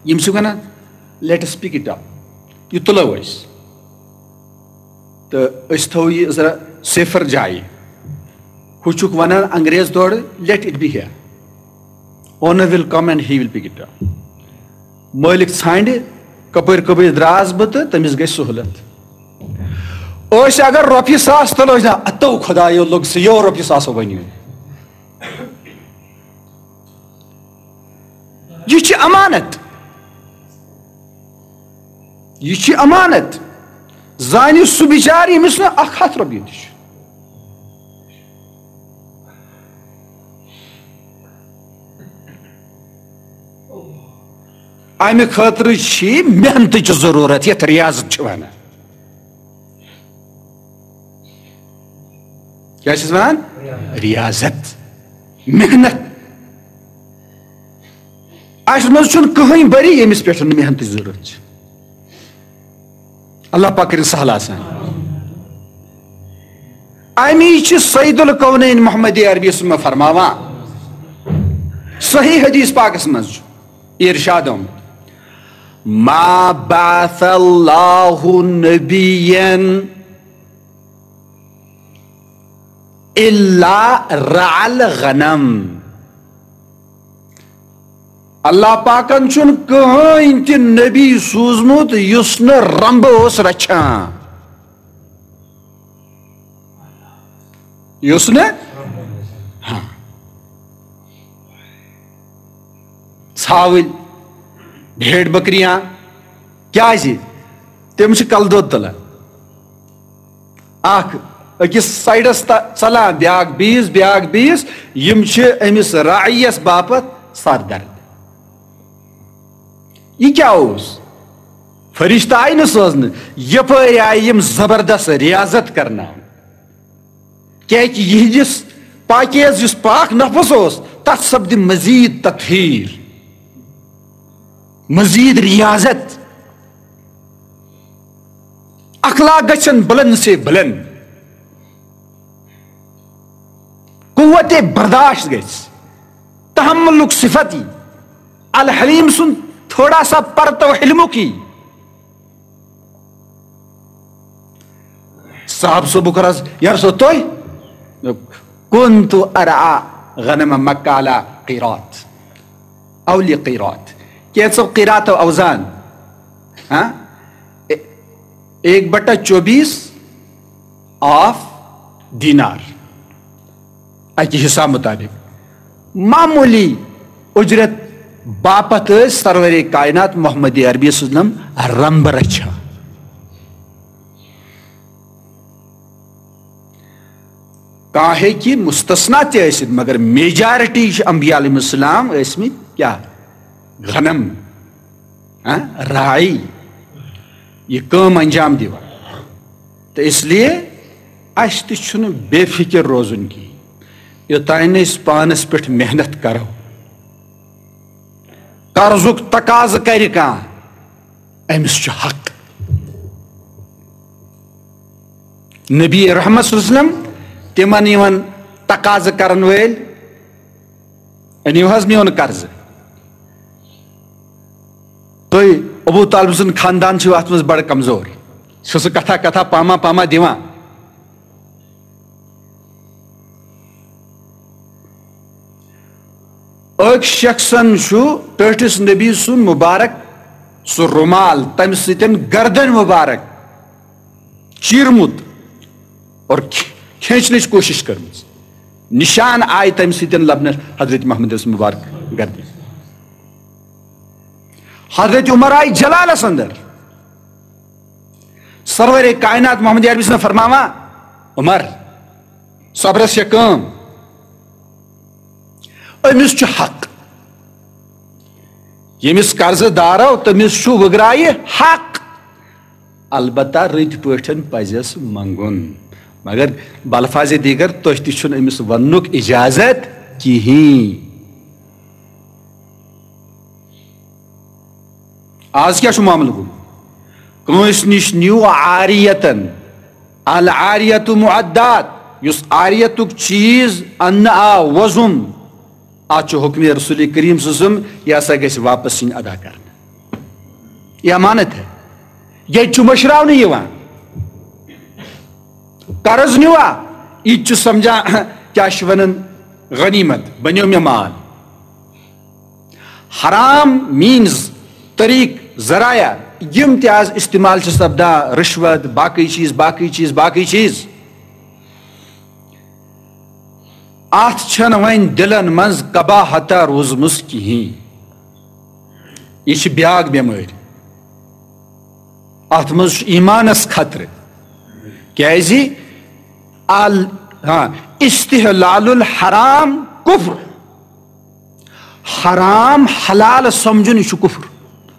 یِم چھِ وَنان، "Let us pick it up، یہِ تُلو أسۍ تہٕ أسۍ تھاوو یہِ ذرا سیفر جایہِ۔" ہُہ چھُکھ وَنان انگریز تورٕ، "Let it be here، owner will come and he will pick it up۔" مٲلِک ژھانڈِ، کپٲرۍ کپٲرۍ درٛاس بہٕ تہٕ تٔمِس گژھِ سہوٗلت۔ أسۍ اگر رۄپیہِ ساس تُلو، أسۍ دَپو، "اتو خدایو، لوٚگ سُہ یو رۄپیہِ ساسو بنیو۔" یہِ چھِ امانت، یہِ چھِ امانت۔ زانہِ سُہ بِچارٕ، ییٚمِس نہٕ اکھ ہتھ رۄپیہِ تہِ چھُ۔ امہِ خٲطرٕ چھِ محنتٕچ ضروٗرت، یتھ ریاضت چھِ ونان۔ کیٛاہ چھِس ونان؟ ریاضت، محنت۔ اَسہِ منٛز چھُنہٕ کٕہٕنۍ بری، ییٚمِس پٮ۪ٹھ نہٕ محنتٕچ ضروٗرت چھِ۔ اللہ پاک کٔرِن سہل آسان۔ اَمی چھِ سید الکونین محمد عربی سُنٛد فرماوان، صحیح حدیث پاکس منٛز چھُ ارشاد آمُت، "ما بعث اللہ نبیا الا رعى الغنم۔" اللہ پاکن چھُنہٕ کٕہٕنۍ تہِ نبی سوٗزمُت یُس نہٕ رمبہٕ اوس رچھان۔ یُس نہٕ، ہاں، ژھاوٕلۍ، بھیڑ بکریاں، کیازِ؟ تِم چھِ کلہٕ دود تُلان۔ اکھ أکِس سایڈس تہ-، ژلان، بیاکھ بیٚیِس، بیاکھ بیٚیِس۔ یِم چھِ أمِس راعیَس باپتھ سر درد۔ یہِ کیٛاہ اوس؟ فرشتہٕ آیہِ نہٕ سوزنہٕ، یپٲرۍ آیہِ یِم زبردست ریاضت کرناونہٕ۔ کیٛازِ یِہنٛدِس پاکیز یُس پاک نفس اوس، تتھ سپدِ مزید تطہیر، مزید ریاضت۔ اخلاق گژھن بلند سے بلند، قوت برداشت گژھِ، تحملُک صفت یی۔ الحلیم سُنٛد تھوڑا سا پرتو حلمُک یی۔ صاحب صٲبُک عرض، "یار صٲب، تُہۍ؟" "كنت أرعى غنم مكة على قيراط، أو لقيراط، کینٛژو قیراتو اوزان۔" ہاں؟ اے-، ایک بٹا چوبیس آف دینار، اکہِ حساب مطابق معمولی اجرت باپتھ ٲسۍ سرور کائنات محمد عربی صلی اللہ علیہ وسلم رمبہٕ رچھان۔ کانٛہہ ہیٚکہِ مستثنا تہِ ٲسِتھ، مگر میجارٹی چھِ انبیاء علیہم السلام ٲسمٕتۍ کیٛاہ؟ غنم، ہاں، راعی، یہِ کٲم انجام دِوان۔ تہٕ اس لیے اَسہِ تہِ چھُنہٕ بے فکر روزُن کِہیٖنۍ۔ یوٚتام نہٕ أسۍ پانس پٮ۪ٹھ محنت کرو، قرضُک تقاضہٕ کرِ کانٛہہ، أمِس چھُ حق۔ نبی رحمت صلی اللہ علیہ وسلم، تِمن یِمن تقاضہٕ کرن وٲلۍ، أنِو حظ میون قرضہٕ۔ تُہۍ، ابو طالب سُنٛد خاندان چھُ اتھ منٛز بڑٕ کمزور۔ چھُ سُہ کتھا کتھا پاما پاما دِوان۔ أکۍ شخصن چھُ ٹٲٹھِس نبی سُنٛد مبارک سُہ رومال، تمہِ سۭتۍ گردن مبارک چیرمُت اور کھ-، کھینچنٕچ کوٗشِش کٔرمٕژ۔ نشان آیہِ تمہِ سۭتۍ لبنہٕ حضرت محمد مبارک گردن۔ حضرت عمر آیہِ جلالس اندر۔ سرور کائنات محمد عربی صٲب فرماوان، "عمر، صبرس چھےٚ کٲم، أمِس چھُ حق۔" ییٚمِس قرضہٕ دارو، تٔمِس چھُ وٕگرایہِ حق، البتہ رٕتۍ پٲٹھۍ پزٮ۪س منٛگُن۔ مگر بلفاظ دیگر، تۄہہِ تہِ چھُنہٕ أمِس وننُک اجازت کِہیٖنۍ۔ آز کیٛاہ چھُ معاملہٕ گوٚمُت؟ کٲنٛسہِ نِش نِیِو عاریتن، العاریت معدات، یُس عاریتُک چیٖز اننہٕ آو، وۄزُم، اتھ چھُ حکمِ رسول کریم صلی اللہ علیہ وسلم، یہِ ہسا گژھِ واپس یِنۍ ادا کرنہٕ۔ یہ امانت ہے، ییٚتہِ چھُ مٔشراونہٕ یِوان۔ قرض نیوا، یہِ تہِ چھُ سمجھان، کیٛاہ چھِ ونان، غنیمت بنیو مےٚ مال۔ حرام means، طریق، ذرایع، یِم تہِ آز استعمال چھِ سپدان، رشوت، باقٕے چیٖز، باقٕے چیٖز، باقٕے چیٖز، اتھ چھنہٕ وۄنۍ دلن منٛز قباحتہ روٗزمٕژ کِہیٖنۍ۔ یہِ چھِ بیاکھ بٮ۪مٲرۍ۔ اتھ منٛز چھُ ایمانس خطرٕ۔ کیازِ؟ ال-، ہاں، استحلال الحرام کفر۔ حرام حلال سمجھُن، یہِ چھُ کفر۔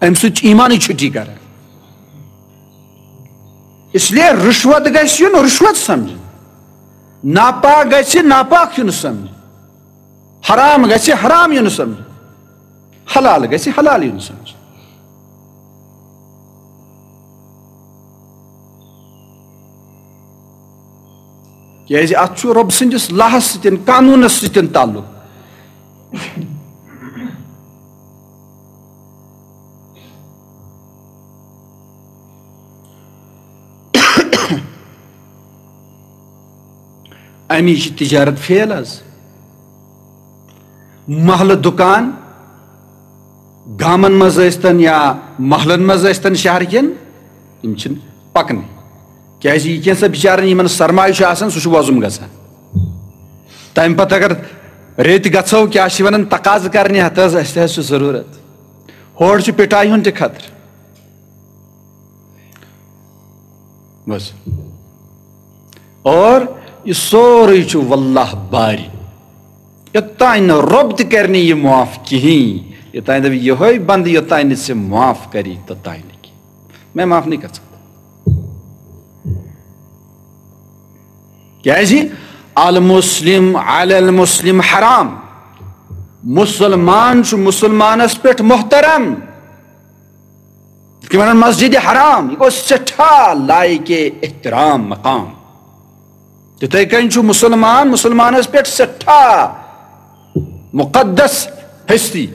امہِ سۭتۍ چھُ ایمانٕے چھُٹی کران۔ اس لیے رشوت گژھِ یُن رشوت سمجھُن، ناپاک گژھِ ناپاک یُن سمجھُن، حرام گژھِ حرام یُن سمجھُن، حلال گژھِ حلال یُن سمجھُن۔ کیازِ اتھ چھُ رۄب سٕنٛدِس لاہس سۭتۍ، قانوٗنس سۭتۍ تعلق۔ امی چھِ تجارت فیل حظ۔ محلہٕ دُکان، گامن منٛز ٲسۍتن یا محلن منٛز ٲسۍتن شہر کٮ۪ن، یِم چھِنہٕ پکنٕے۔ کیازِ یہِ کینٛژھا بِچارن یِمن سرمایہِ چھُ آسان، سُہ چھُ وۄزُم گژھان۔ تمہِ پتہٕ اگر ریٚتۍ گژھو، کیٛاہ چھِ ونان، تقاضہٕ کرنہِ، ہتہٕ حظ، اسہِ تہِ حظ چھُ ضروٗرت۔ ہورٕ چھُ پِٹایہِ ہُنٛد تہِ خطرٕ۔ بس۔ اور یہِ سورُے چھُ واللہ باری۔ یوٚتام نہٕ رۄب تہِ کرِ نہٕ یہِ معاف کِہیٖنۍ، یوٚتام دَپہِ یِہوٚے بنٛدٕ، یوٚتام نہٕ ژےٚ معاف کری، توٚتام نہٕ کِہیٖنۍ۔ مےٚ معاف نہٕ گژھان۔ کیازِ؟ المسلم علی المسلم حرام۔ مُسلمان چھُ مُسلمانس پٮ۪ٹھ محترم۔ یِتھ کٔنۍ وَنان مسجد حرام، یہِ گوٚو سٮ۪ٹھاہ لایق احترام مقام۔ تِتھَے کٔنۍ چھُ مُسلمان مُسلمانَس پٮ۪ٹھ سٮ۪ٹھاہ مُقدس ہستی۔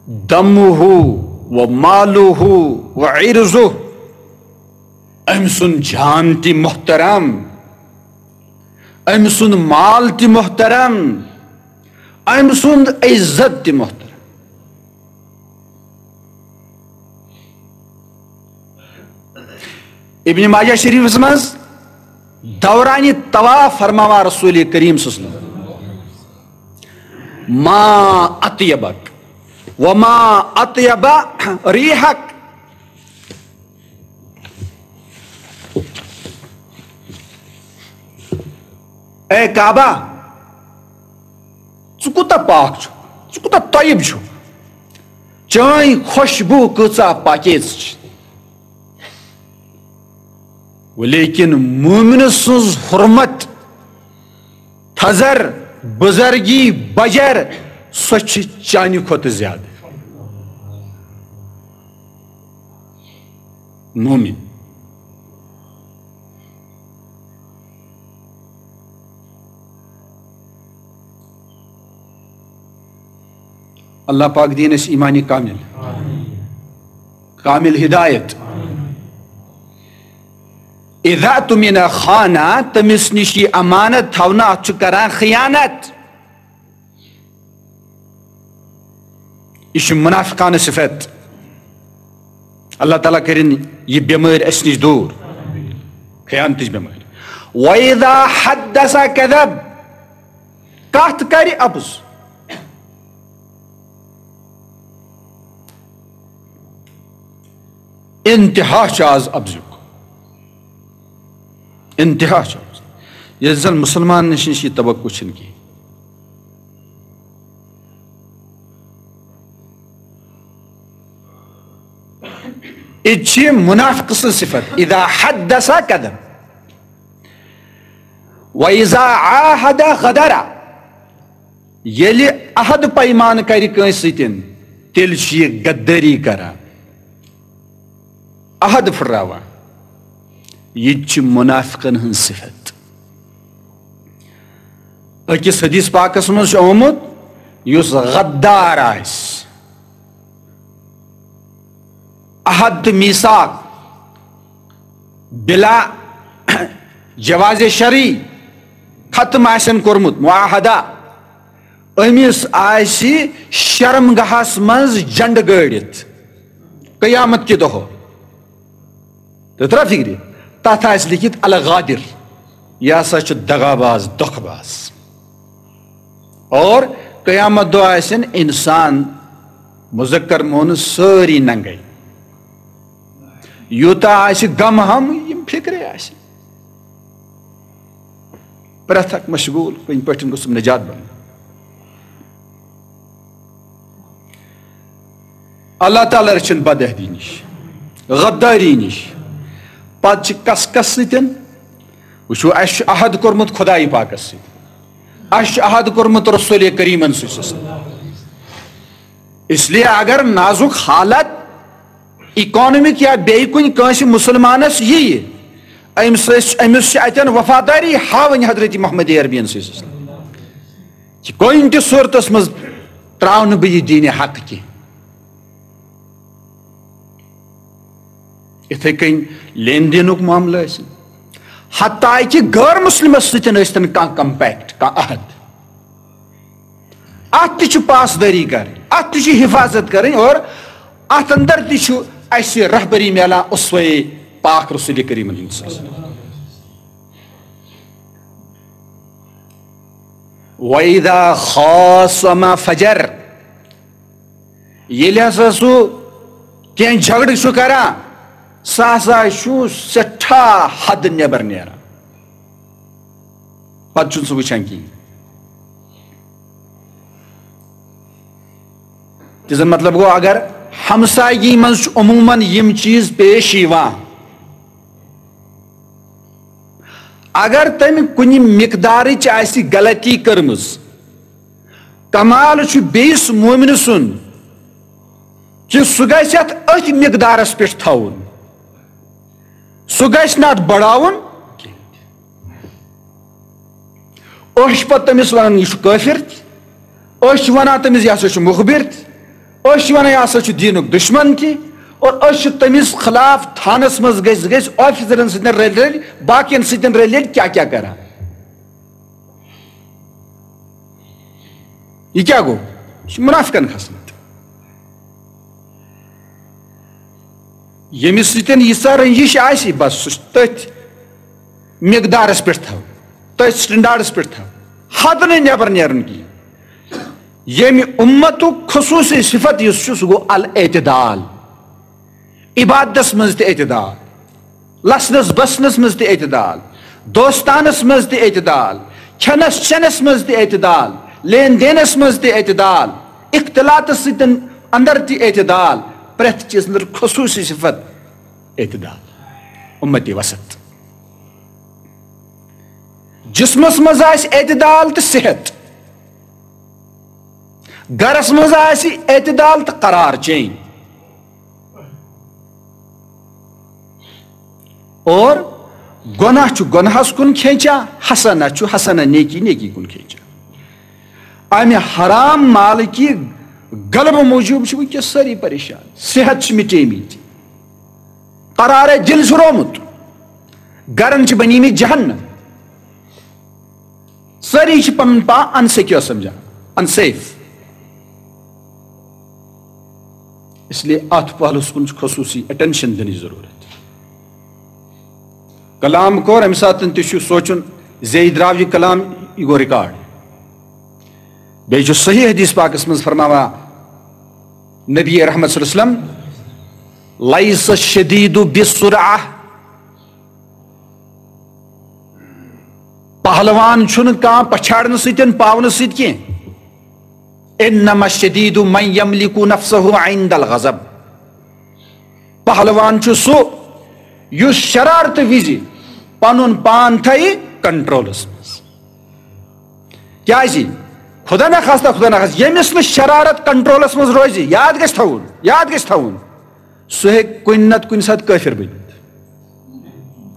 دمہ و مالہ و عرضہ، أمۍ سُنٛد جان تہِ محترم، أمۍ سُنٛد مال تہِ محترم، أمۍ سُنٛد عزت تہِ محترم۔ ابن ماجہ شریفس منٛز دوران طواف فرماوان رسول کریم صلی اللہ علیہ وسلم، ما اطیبک وما اطیب ریحک۔ اے کعبہ، ژٕ کوٗتاہ پاک چھُکھ، ژٕ کوٗتاہ طیب چھُکھ، چٲنۍ خوشبو کۭژاہ پاکیز چھِ۔ ولیکن مومن سٕنٛز حرمت، تھزر، بزرگی، بجر، سۄ چھِ چانہِ کھۄتہٕ زیادٕ۔ مومن۔ اللہ پاک دِیِن اَسہِ ایٖمانِ کامِل، کامِل ہدایت۔ اذا تمن خانہ، تٔمِس نِش یہِ امانت تھاونہٕ، اَتھ چھُ کران خیانت۔ یہِ چھِ منافقانہٕ صفت۔ اللہ تعالیٰ کٔرِن یہِ بٮ۪مٲرۍ اَسہِ نِش دوٗر، خیانتٕچ بٮ۪مٲرۍ۔ وَإِذَا حَدَّثَ كَذَبَ، کَتھ کَرِ اَپُز۔ انتہا چھُ آز اَپزیُک، انتہا چھُ آز۔ ییٚلہِ زَن مُسلمان نِش نِش یہِ توقع چھُنہٕ کینٛہہ۔ یہِ چھِ منافقہٕ سٕنٛز صفت، اذا حدث کذب، و اذا عاہد غدر۔ ییٚلہِ عہد پیمان کرِ کٲنٛسہِ سۭتۍ، تیٚلہِ چھُ یہِ غدٲری کران، عہد پھٕٹراوان۔ یہِ تہِ چھِ منافقن ہٕنٛز صفت۔ أکِس حدیث پاکس منٛز چھُ آمُت، یُس غدار آسہِ، عہد تہٕ میثاق بلا جواز شرعی ختم آسن کوٚرمُت، معاہدہ، أمِس آسہِ شرمگاہس منٛز جنڈٕ گٲڑِتھ قیامت کہِ دۄہ۔ تہٕ ترٛا فِکرِ، تَتھ آسہِ لیٚکھِتھ الغادر، یہِ ہسا چھُ دغاباز، دھوکہٕ باز۔ اور قیامت دۄہ آسن انسان، مذکر مؤنث، سٲری ننگے۔ یوٗتاہ آسہِ غم ہم، یِم فِکرے آسہِ۔ پرٛٮ۪تھ اکھ مشغوٗل، کُنہِ پٲٹھۍ گوٚژھُم نجات بنُن۔ اللہ تعالیٰ رٔچھِن بدعہدی نِش، غداری نِش۔ پتہٕ چھِ کس کس سۭتۍ؟ وٕچھو، اَسہِ چھُ عہد کوٚرمُت خدایہِ پاکس سۭتۍ، اَسہِ چھُ عہد کوٚرمُت رسول کریٖمن سۭتۍ۔ اس لیے اگر نازُک حالت اکنامک یا بیٚیہِ کُنہِ کٲنٛسہِ مُسلمانس یِیہِ، أمِس ٲسۍ، أمِس چھِ اتٮ۪ن وفاداری ہاوٕنۍ حضرت محمد عربین صلی اللہ علیہ وسلم۔ کہِ کُنہِ تہِ صورتس منٛز ترٛاونہٕ بہٕ یہِ دیٖنِ حق کینٛہہ۔ یِتھے کٔنۍ لین دینُک معاملہٕ ٲسِن، حتیٰ کہِ غٲر مسلمس سۭتۍ ٲسۍتن کانٛہہ کمپیکٹ، کانٛہہ عہد، اتھ تہِ چھُ پاسدٲری کرٕنۍ، اتھ تہِ چھُ حفاظت کرٕنۍ، اور اتھ اندر تہِ چھُ اسہِ رہبری میلان اسوے پاک رسول کریمن ہٕنٛدِ صلی اللہ علیہ وسلم۔ وَإِذَا خَاصَمَ فَجَرَ، ییٚلہِ ہسا سُہ کینٛہہ جھگڑٕ چھُ کران، سُہ ہسا چھُ سٮ۪ٹھاہ حد نٮ۪بر نیران، پتہٕ چھُنہٕ سُہ وٕچھان کِہیٖنۍ۔ تہِ زن مطلب گوٚو، اگر ہمسایگی منٛز چھُ عموٗماً یِم چیٖز پیش یِوان، اگر تٔمۍ کُنہِ مقدارٕچ آسہِ غلطی کٔرمٕژ، کمال چھُ بیٚیِس مومنہٕ سُنٛد کہِ سُہ گژھِ اَتھ أتھۍ مقدارس پٮ۪ٹھ تھاوُن، سُہ گژھِ نہٕ اَتھ بڑاوُن کینٛہہ۔ أسۍ چھِ پتہٕ تٔمِس ونان، یہِ چھُ کٲفِر تہِ، أسۍ چھِ ونان تٔمِس، یہِ ہسا چھُ مُخبِر تہِ، أسۍ چھِ ونان، یہِ ہسا چھُ دیٖنُک دُشمن تہِ، اور أسۍ چھِ تٔمِس خلاف تھانس منٛز گٔژھۍ گٔژھۍ آفیسرن سۭتۍ رلۍ رلۍ، باقین سۭتۍ رلۍ رلۍ کیٛاہ کیٛاہ کران۔ یہِ کیٛاہ گوٚو؟ یہِ چھُ مُنافِقن خصلت۔ ییٚمِس سۭتۍ ییٖژاہ رٔنجِش آسہِ، بس سُہ چھُ تٔتھۍ مقدارس پٮ۪ٹھ تھاوُن، تٔتھۍ سٹینڈارڈس پٮ۪ٹھ تھاوُن، حد نہٕ نٮ۪بر نیرُن کِہیٖنۍ۔ ییٚمہِ اُمتُک خصوٗصی صفت یُس چھُ، سُہ گوٚو الاعتدال۔ عبادتس منٛز تہِ اعتدال، لسنس بسنس منٛز تہِ اعتدال، دوستانس منٛز تہِ اعتدال، کھٮ۪نس چٮ۪نس منٛز تہِ اعتدال، لین دینس منٛز تہِ اعتدال، اختلاطس سۭتۍ اندر تہِ اعتدال، پرٛٮ۪تھ چیٖزس اندر خصوٗصی صفت اعتدال، اُمتی وسط۔ جسمس منٛز آسہِ اعتدال تہٕ صحت، گرس منٛز آسہِ اعتدال تہٕ قرار چین۔ اور گۄناہ چھُ گۄناہس کُن کھینچان، حسنہ چھُ حسنہ، نیکی نیکی کُن کھینچان۔ امہِ حرام مالہٕ کہِ غلبہٕ موٗجوٗب چھِ وٕنکیٚس سٲری پریشان، صحت چھِ مِٹیمٕتۍ، قرارے دِل چھُ رومُت، گرن چھِ بنیمٕتۍ جہنم۔ سٲری چھِ پنُن پان انسیکیور سمجھان، انسیف۔ اس لیے اتھ پہلوس کُن چھُ خصوٗصی اٹینشن دِنٕچ ضروٗرت۔ کلام کوٚر، امہِ ساتہٕ تہِ چھُ سونٛچُن زِ یہِ درٛاو یہِ کلام، یہِ گوٚو ریکارڈ۔ بیٚیہِ چھُ صحیح حدیث پاکس منٛز فرماوان نبی رحمت صلی اللہ علیہ وسلم، "لیس الشدید بالصرعہ"، پہلوان چھُنہٕ کانٛہہ پچھاڑنہٕ سۭتۍ، پاونہٕ سۭتۍ کینٛہہ۔ انما الشدید من یملک نفسہ عند الغضب۔ پہلوان چھُ سُہ یُس شرارتہٕ وِزِ پنُن پان تھایہِ کنٹرولس منٛز۔ کیازِ؟ خدا نخواستہ، خدا نخواستہ، ییٚمِس نہٕ شرارت کنٹرولس منٛز روزِ، یاد گژھِ تھاوُن، یاد گژھِ تھاوُن، سُہ ہیٚکہِ کُنہِ نتہٕ کُنہِ ساتہٕ کٲفِر بٔنِتھ۔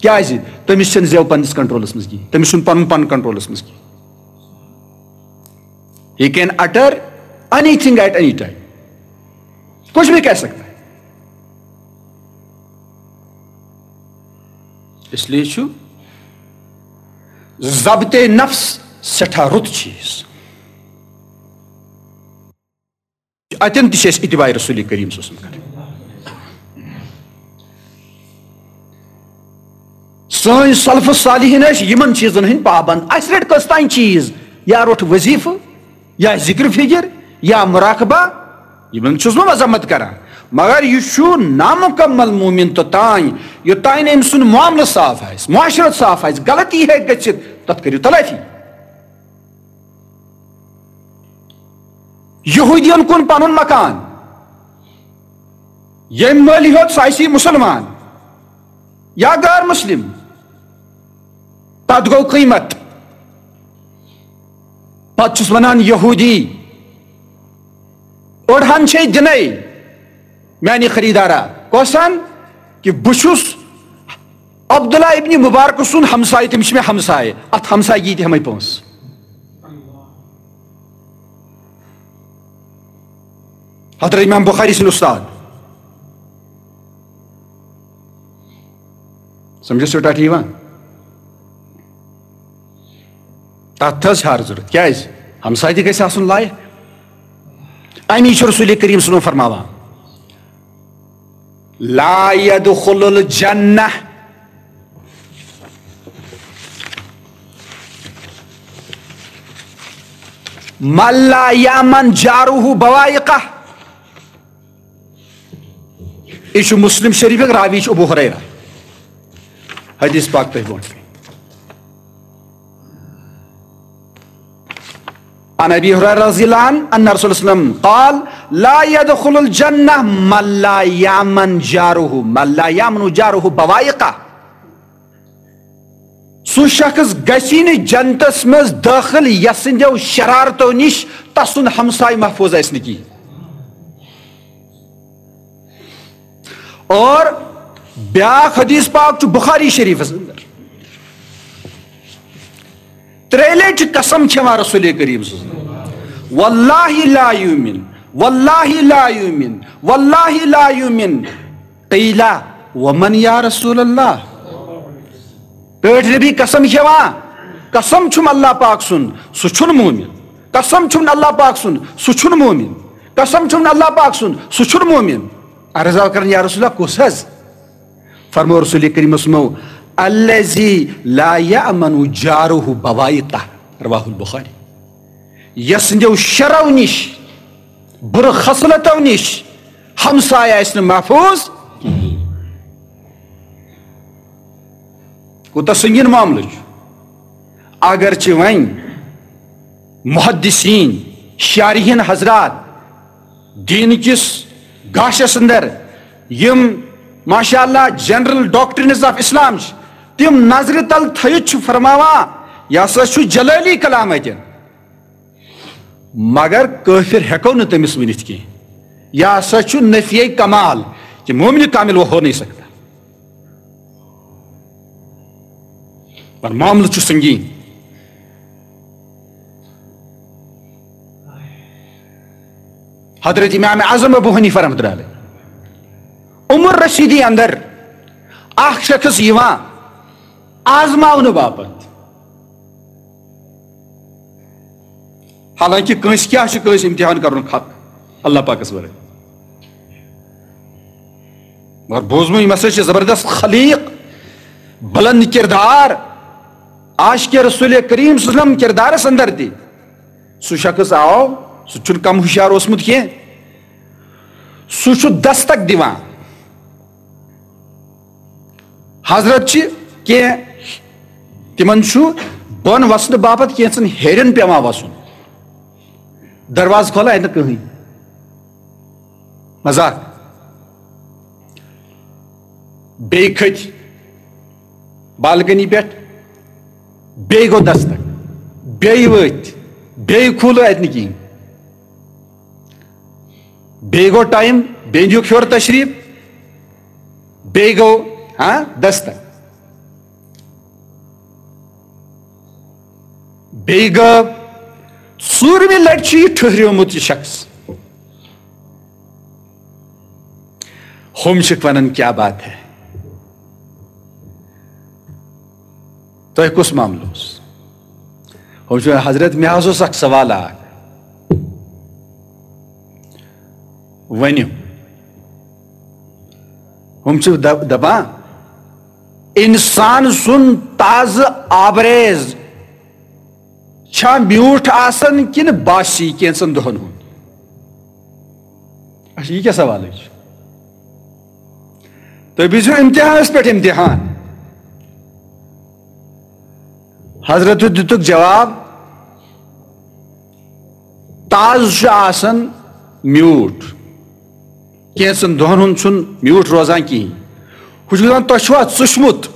کیازِ؟ تٔمِس چھَنہٕ زٮ۪و پننِس کنٹرولس منٛز کِہیٖنۍ، تٔمِس چھُنہٕ پنُن پان کنٹرولس منٛز کِہیٖنۍ۔ He can utter anything at any time. کچھ بھی کہہ سکتا ہے۔ اس لیے چھُ ضبط نفس سٮ۪ٹھاہ رُت چیٖز۔ اتٮ۪ن تہِ چھِ أسۍ اتباع رسول کریم صلی اللہ علیہ وسلم کرٕنۍ۔ سٲنۍ سلف صالحین ٲسۍ یِمن چیٖزن ہٕنٛدۍ پابند۔ اسہِ رٔٹۍ کٔژ تام چیٖز، یا روٚٹ وظیفہٕ، یا ذکر فکر، یا مراقبہ، یِمن چھُس بہٕ مذمت کران، مگر یہِ چھُ نامکمل مومن توٚتام، یوٚتام نہٕ أمۍ سُنٛد معاملہٕ صاف آسہِ، معاشرت صاف آسہِ، غلطی ہیٚکہِ گٔژھِتھ، تتھ کٔرِو تلٲفی۔ یہودین کُن پنُن مکان، ییٚمۍ مٲلۍ ہیوٚت سُہ آسی مسلمان یا غیر مسلم، تتھ گوٚو قۭمت۔ پتہٕ چھُس ونان یہودی، أڑہن چھے دِنے میانہِ خریدارا، کۄسن؟ کہ بہٕ چھُس عبداللہ ابن مبارک سُنٛد ہمسایہِ، تٔمِس چھِ مےٚ ہمسایہِ، اتھ ہمسایگی تہِ ہٮ۪مے پونٛسہٕ۔ حضرت امام بخاری سٕنٛدۍ استاد۔ سمجھو سیوٚٹا ٹھیٖک وا؟ تتھ حظ چھِ ہر ضروٗرت۔ کیازِ؟ ہمسایہِ تہِ گژھِ آسُن لایق۔ امی چھُ رسول کریم صلی اللہ علیہ وسلم فرماوان، لا يدخل الجنة من لا يأمن جاره بوائقه۔ یہِ چھُ مسلم شریفک راوی چھُ ابو ہریرہ۔ حدیث پاک تۄہہِ برونٛٹھ کَنہِ۔ عن ابی ہریرہ رضی اللہ عنہ ان رسول اللہ صلی اللہ علیہ وسلم قال، لا يدخل الجنة من لا يأمن جاره، من لا يأمن جاره بوائقه۔ سُہ شخص گژھِ نہٕ جنتس منٛز دٲخل یس سٕنٛدیو شرارتو نِش تسُنٛد ہمسایہِ محفوظ آسہِ نہٕ کِہیٖنۍ۔ اور بیاکھ حدیث پاک چھُ بخاری شریفس اندر۔ ترٛےٚ لٹہِ چھِ قسم کھٮ۪وان رسول کریم صلی اللہ علیہ وسلم، واللہ لا یؤمن، واللہ لا یؤمن، واللہ لا یؤمن۔ قیل، ومن یا رسول اللہ؟ ٹٲٹھۍ نبی قسم کھٮ۪وان، قسم چھُم اللہ پاک سُنٛد، سُہ چھُنہٕ مومن۔ قسم چھُم اللہ پاک سُنٛد، سُہ چھُنہٕ مومن۔ قسم چھُم اللہ پاک سُنٛد، سُہ چھُنہٕ مومن۔ عرض آو کران، یا رسول اللہ، کُس حظ؟ فرمو رسول کریم صلی اللہ علیہ وسلم، الذی لا یأمن جارہ بوائقہ، رواہ البخاری۔ یس سٕنٛدیو شرو نِش، بُرٕ خصلتو نِش ہمسایہِ آسہِ نہٕ محفوظ کِہیٖنۍ۔ کوٗتاہ سنگین معاملہٕ چھُ۔ اگرچہِ وۄنۍ محدثین، شارحین حضرات دین کِس گاشس اندر یِم ماشاء اللہ general doctrines of Islam چھِ، تِم نظرِ تل تھٲیِتھ چھِ فرماوان، یہِ ہسا چھُ جلٲلی کلام اتٮ۪ن۔ مگر کٲفر ہٮ۪کو نہٕ تٔمِس ؤنِتھ کینٛہہ۔ یہِ ہسا چھُ نفی کمال، کہ مومن کامل وہ ہو نہیں سکتا۔ پر معاملہٕ چھُ سنگین۔ حضرت امام اعظم ابو حنیفہ رحمۃ اللہ علیہ، عمر رسیدی اندر اکھ شخص یِوان آزماونہٕ باپتھ۔ حالانکہ کٲنٛسہِ کیٛاہ چھُ کٲنٛسہِ امتحان کرُن حق اللہ پاکس ورٲے؟ مگر بوزمُت، یِم ہسا چھِ زبردست خلیق، بلند کردار، عاشق رسول کریم صلی اللہ علیہ وسلم کردارس اندر تہِ۔ سُہ شخص آو، سُہ چھُنہٕ کم ہوشیار اوسمُت کینٛہہ۔ سُہ چھُ دستک دِوان۔ حضرت چھِ کینٛہہ، تِمن چھُ بۄن وسنہٕ باپتھ کینٛژن ہیرٮ۪ن پٮ۪وان وسُن۔ دروازٕ کھولان، اَتہِ نہٕ کٕہٕنۍ۔ مذاق۔ بیٚیہِ کھٔتۍ بالکنی پٮ۪ٹھ، بیٚیہِ گوٚو دستک، بیٚیہِ ؤتھۍ، بیٚیہِ کھوٗلو اَتہِ نہٕ کِہیٖنۍ۔ بیٚیہِ گوٚو ٹایم، بیٚیہِ دیُک ہیوٚر تشریٖف، بیٚیہِ گوٚو، ہاں، دستک۔ بیٚیہِ گوٚو ژوٗرمہِ لٹہِ چھُ یہِ ٹھٔہریومُت، یہِ شخص۔ ہُم چھِکھ وَنان، "کیا بات ہے، تۄہہِ کُس معاملہٕ اوس؟" ہُم چھِ وَنان، "حضرت، مےٚ حظ اوس اکھ سوال اکھ، ؤنِو۔" ہُم چھِ دپ-، دپان، "انسان سُنٛد تازٕ آبریز چھا میوٗٹھ آسان کِنہٕ باسی کینٛژن دۄہن ہُنٛد؟" اچھا، یہِ کیٛاہ سوالٕے چھُ؟ تُہۍ بوٗزِو امتحانس پٮ۪ٹھ امتحان۔ حضرت دِتُکھ جواب، تازٕ چھُ آسان میوٗٹھ، کینٛژن دۄہن ہُنٛد چھُنہٕ میوٗٹھ روزان کِہیٖنۍ۔ ہُہ چھُ دَپان، "تۄہہِ چھُوا ژُشمُت؟"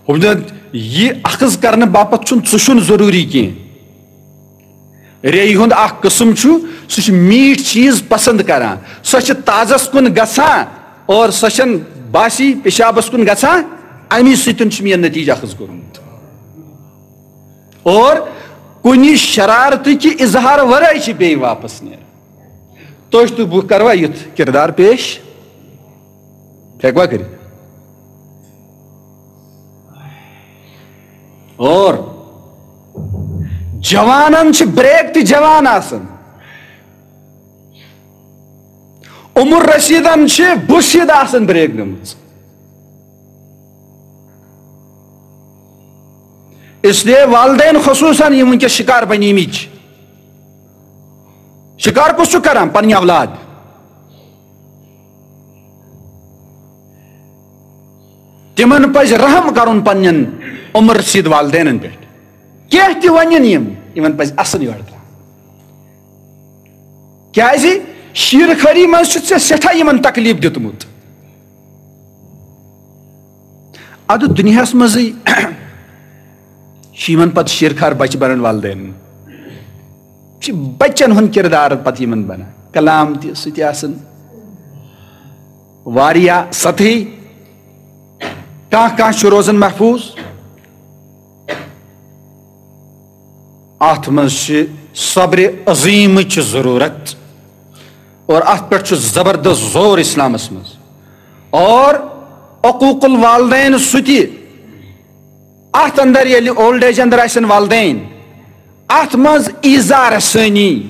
ہُہ چھُ دَپان، یہِ اخذ کرنہٕ باپتھ چھُنہٕ ژُشُن ضروٗری کینٛہہ۔ ریٚیہِ ہُنٛد اکھ قٕسم چھُ، سُہ چھُ میٖٹھۍ چیٖز پسنٛد کران، سۄ چھِ تازس کُن گژھان اور سۄ چھَنہٕ باسی پیشابس کُن گژھان، امی سۭتۍ چھُ مےٚ نتیٖجہٕ اخذ کوٚرمُت۔ اور کُنہِ شرارتہٕ کہِ اظہار ورٲے چھِ بیٚیہِ واپس نیران۔ تُہۍ تہٕ بہٕ کروا یُتھ کردار پیش؟ ہیٚکوا کٔرِتھ؟ اور جوانن چھِ بریک تہِ جوان آسان۔ عمر رسیدن چھِ بُسیٖد آسان بریک نِمٕژ۔ اس لیے والدین خصوصاً یِم وٕنکیٚس شکار بنیمٕتۍ چھِ، شکار کُس چھُ کران؟ پننہِ اولاد۔ تِمن پزِ رحم کرُن پننٮ۪ن عمر رسید والدینن پٮ۪ٹھ۔ کینٛہہ تہِ ونن یِم، یِمن پزِ اصل یورٕ ترٛاوُن۔ کیازِ شیٖر خٲری منٛز چھُ ژےٚ سٮ۪ٹھاہ یِمن تکلیف دیُتمُت۔ ادٕ دُنیاہس منٛزٕے چھِ یِمن پتہٕ شیٖر خار بچہِ بنان والدین۔ چھِ بچن ہُنٛد کردار پتہٕ یِمن بنان۔ کلام تہِ سُہ تہِ آسان واریاہ سطحی۔ کانٛہہ کانٛہہ چھُ روزان محفوظ۔ اتھ منٛز چھِ صبرِ عظیمٕچ ضروٗرت اور اتھ پٮ۪ٹھ چھُ زبردست زور اسلامس منٛز۔ اور عقوق الوالدین سُہ تہِ، اتھ اندر ییٚلہِ اولڈ ایج اندر آسن والدین، اتھ منٛز ایزا رسٲنی،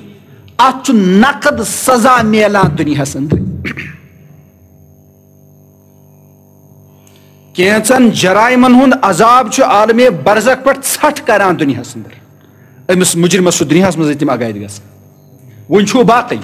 اتھ چھُ نقد سزا میلان دُنیاہس اندر۔ کینٛژن جرائمن ہُنٛد عذاب چھُ عالمِ برزخ پٮ۪ٹھ ژھٹھ کران دُنیاہس اندر۔ أمِس مجرمس چھُ دُنیاہس منٛزٕے تِم عقاید گژھان۔ وۄنۍ چھُ باقٕے۔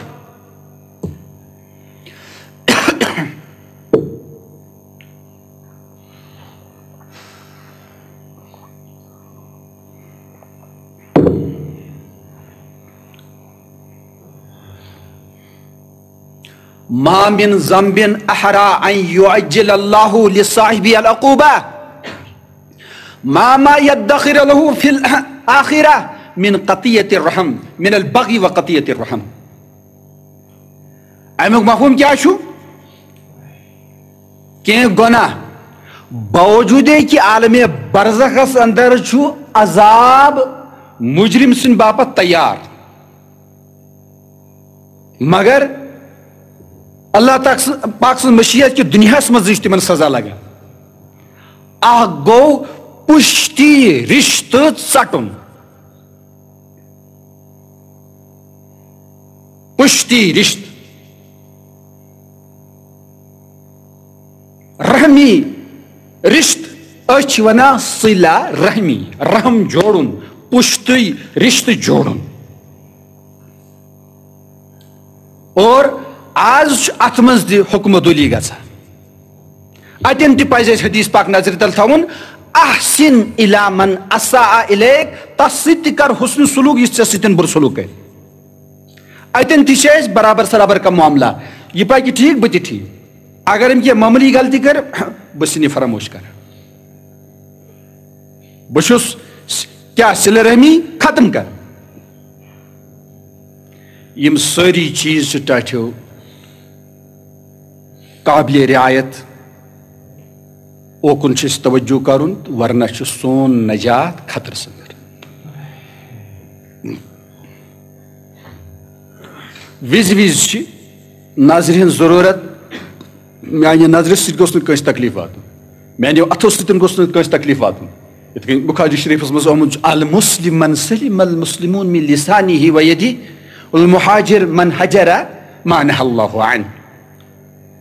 ما من ذنب أحرى أن يعجل الله لصاحبه العقوبة، ما ما يدخر له في الآخرة من قطيعة الرحم، من البغي وقطيعة الرحم۔ امیُک مفہوم کیٛاہ چھُ؟ کینٛہہ گۄناہ، باوجوٗدے کہِ عالمِ برزخس اندر چھُ عذاب مجرم سٕنٛدِ باپتھ تیار، مگر اللہ تعالیٰ سٕنٛز، پاک سٕنٛز مشیت کہِ دُنیاہس منٛز چھِ تِمن سزا لگان۔ اکھ گوٚو پُشتی رشتہٕ ژٹُن۔ پُشتی رشتہٕ، رحمی رشتہٕ، أسۍ چھِ ونان صلہ رحمی، رحم جوڑُن، پُشتی رشتہٕ جوڑُن۔ اور آز چھُ اتھ منٛز تہِ حکم عدولی گژھان۔ اتٮ۪ن تہِ پزِ اسہِ حدیث پاک نظرِ تل تھاوُن، "احسن الی من اساء الیک"، تس سۭتۍ تہِ کر حسن سلوک یُس ژےٚ سۭتۍ بُرٕ سلوک کرِ۔ اتٮ۪ن تہِ چھِ اسہِ برابر سرابر کا معاملہ، یہِ پکہِ ٹھیک، بہٕ تہِ ٹھیک۔ اگر أمۍ کینٛہہ معموٗلی غلطی کٔر، بہٕ چھُس نہٕ یہِ فراموش کران۔ بہٕ چھُس س-، کیٛاہ صلہ رحمی ختم کران۔ یِم سٲری چیٖز چھِ ٹاٹھیو قابلِ رعایت، اوکُن چھُ اَسہِ توجہ کرُن، ورنہ چھُ سون نجات خطرس اندر۔ وِزِ وِزِ چھِ نظرِ ہٕنٛز ضروٗرت۔ میانہِ نظرِ سۭتۍ گوٚژھ نہٕ کٲنٛسہِ تکلیف واتُن، میانیو اتھو سۭتۍ گوٚژھ نہٕ کٲنٛسہِ تکلیف واتُن۔ یِتھ کٔنۍ بخاری شریفس منٛز آمُت چھُ، "المسلم من سلم المسلمون من لسانه ويده، والمهاجر من هجر ما نهى الله عنه۔"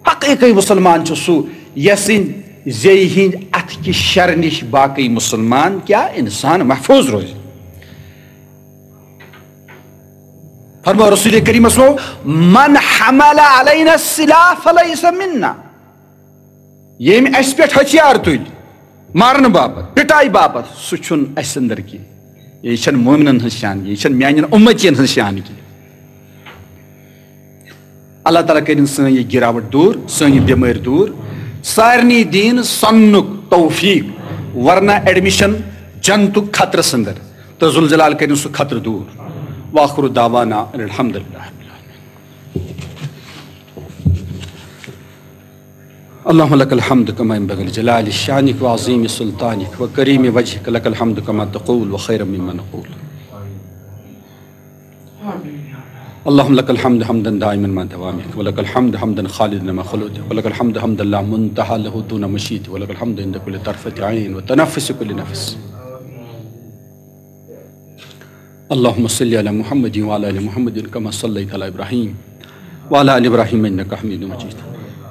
حقیقی مسلمان چھُ سُہ، یس سٕنٛدِ زیٚیہِ ہٕنٛدِ اتھٕ کہِ شرٕ نِش باقی مسلمان کیا انسان محفوظ روزِ۔ فرمو رسول کریمس وو، "من حمل علينا السلاح فليس منا۔" ییٚمۍ اسہِ پٮ۪ٹھ ہتھیار تُلۍ مارنہٕ باپتھ، پٹایہِ باپتھ، سُہ چھُنہٕ اسہِ اندر کینٛہہ۔ یہِ چھَنہٕ مومنن ہٕنٛز شان کینٛہہ، یہِ چھَنہٕ میانٮ۪ن اُمتین ہٕنٛز شان کینٛہہ۔ اللہ تعالیٰ کٔرِن سٲنۍ یہِ گراوٹ دوٗر، سٲنۍ یہِ بٮ۪مٲرۍ دوٗر، سارنٕے دِیِن سننُک توفیق، ورنہ ایڈمِشن جنتُک خطرس اندر، تہٕ ذوالجلال کٔرِن سُہ خطرٕ دوٗر۔ وآخر دعوانا ان الحمد للہ۔ اللهم لك الحمد كما ينبغي لجلال شانك وعظيم سلطانك وكريم وجهك، لك الحمد كما تقول وخيرا مما نقول۔ اللهم لك الحمد حمدا دائما مع دوامك، ولك الحمد حمدا خالدا مع خلودك، ولك الحمد حمدا لا منتهى له دون مشيئتك، ولك الحمد عند كل طرفة عين وتنفس كل نفس۔ اللهم صل على محمد وعلى آل محمد كما صليت على إبراهيم وعلى آل إبراهيم إنك حميد مجيد۔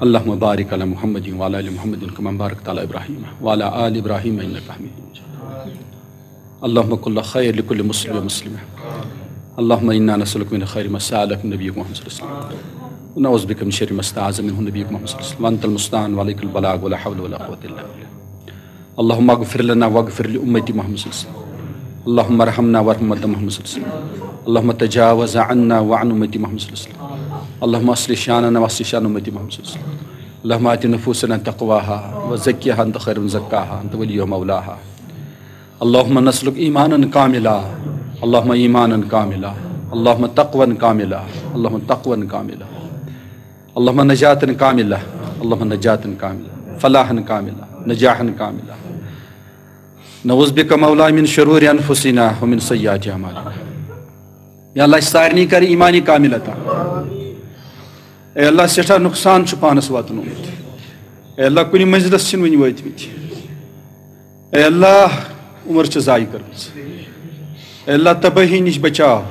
اللهم بارك على محمد وعلى آل محمد كما باركت على إبراهيم وعلى آل إبراهيم إنك حميد مجيد۔ اللهم كن خير لكل مسلم ومسلمة۔ اللهم إنا نسألك من خير ما سألك من نبيك محمد صلى الله عليه وسلم، ونعوذ بك من شر ما استعاذ منه نبيك محمد صلى الله عليه وسلم، وأنت المستعان وعليك البلاغ ولا حول ولا قوة إلا بالله۔ اللهم اغفر لنا واغفر لأمة محمد صلى الله عليه وسلم۔ اللهم ارحمنا وارحم أمة محمد صلى الله عليه وسلم۔ اللهم تجاوز عنا وعن أمة محمد صلى الله عليه وسلم۔ اللهم أصلح شاننا وأصلح شان أمة محمد صلى الله عليه وسلم۔ اللهم آت نفوسنا تقواها وزكها أنت خير من زكاها أنت وليها ومولاها۔ اللهم نسألك إيمانا كاملا، اللهم إيمانا كاملا، اللهم تقوى كاملا، اللهم تقوى كاملا، اللهم نجاة كاملة، اللهم نجاة كاملة، فلاحا كاملا، نجاحا كاملا۔ نعوذ بك مولا من شرور أنفسنا ومن سيئات أعمالنا۔ یا اللہ، اسہِ سارنٕے کر ایمانِ کامل عطا۔ اے اللہ، سٮ۪ٹھاہ نۄقصان چھُ پانس واتنومُت۔ اے اللہ، کُنہِ منزلس چھِنہٕ وُنہِ وٲتمٕتۍ۔ اے اللہ، عمر چھِ ضایع کٔرمٕژ۔ اے اللہ، تبٲہی نِش بچاو،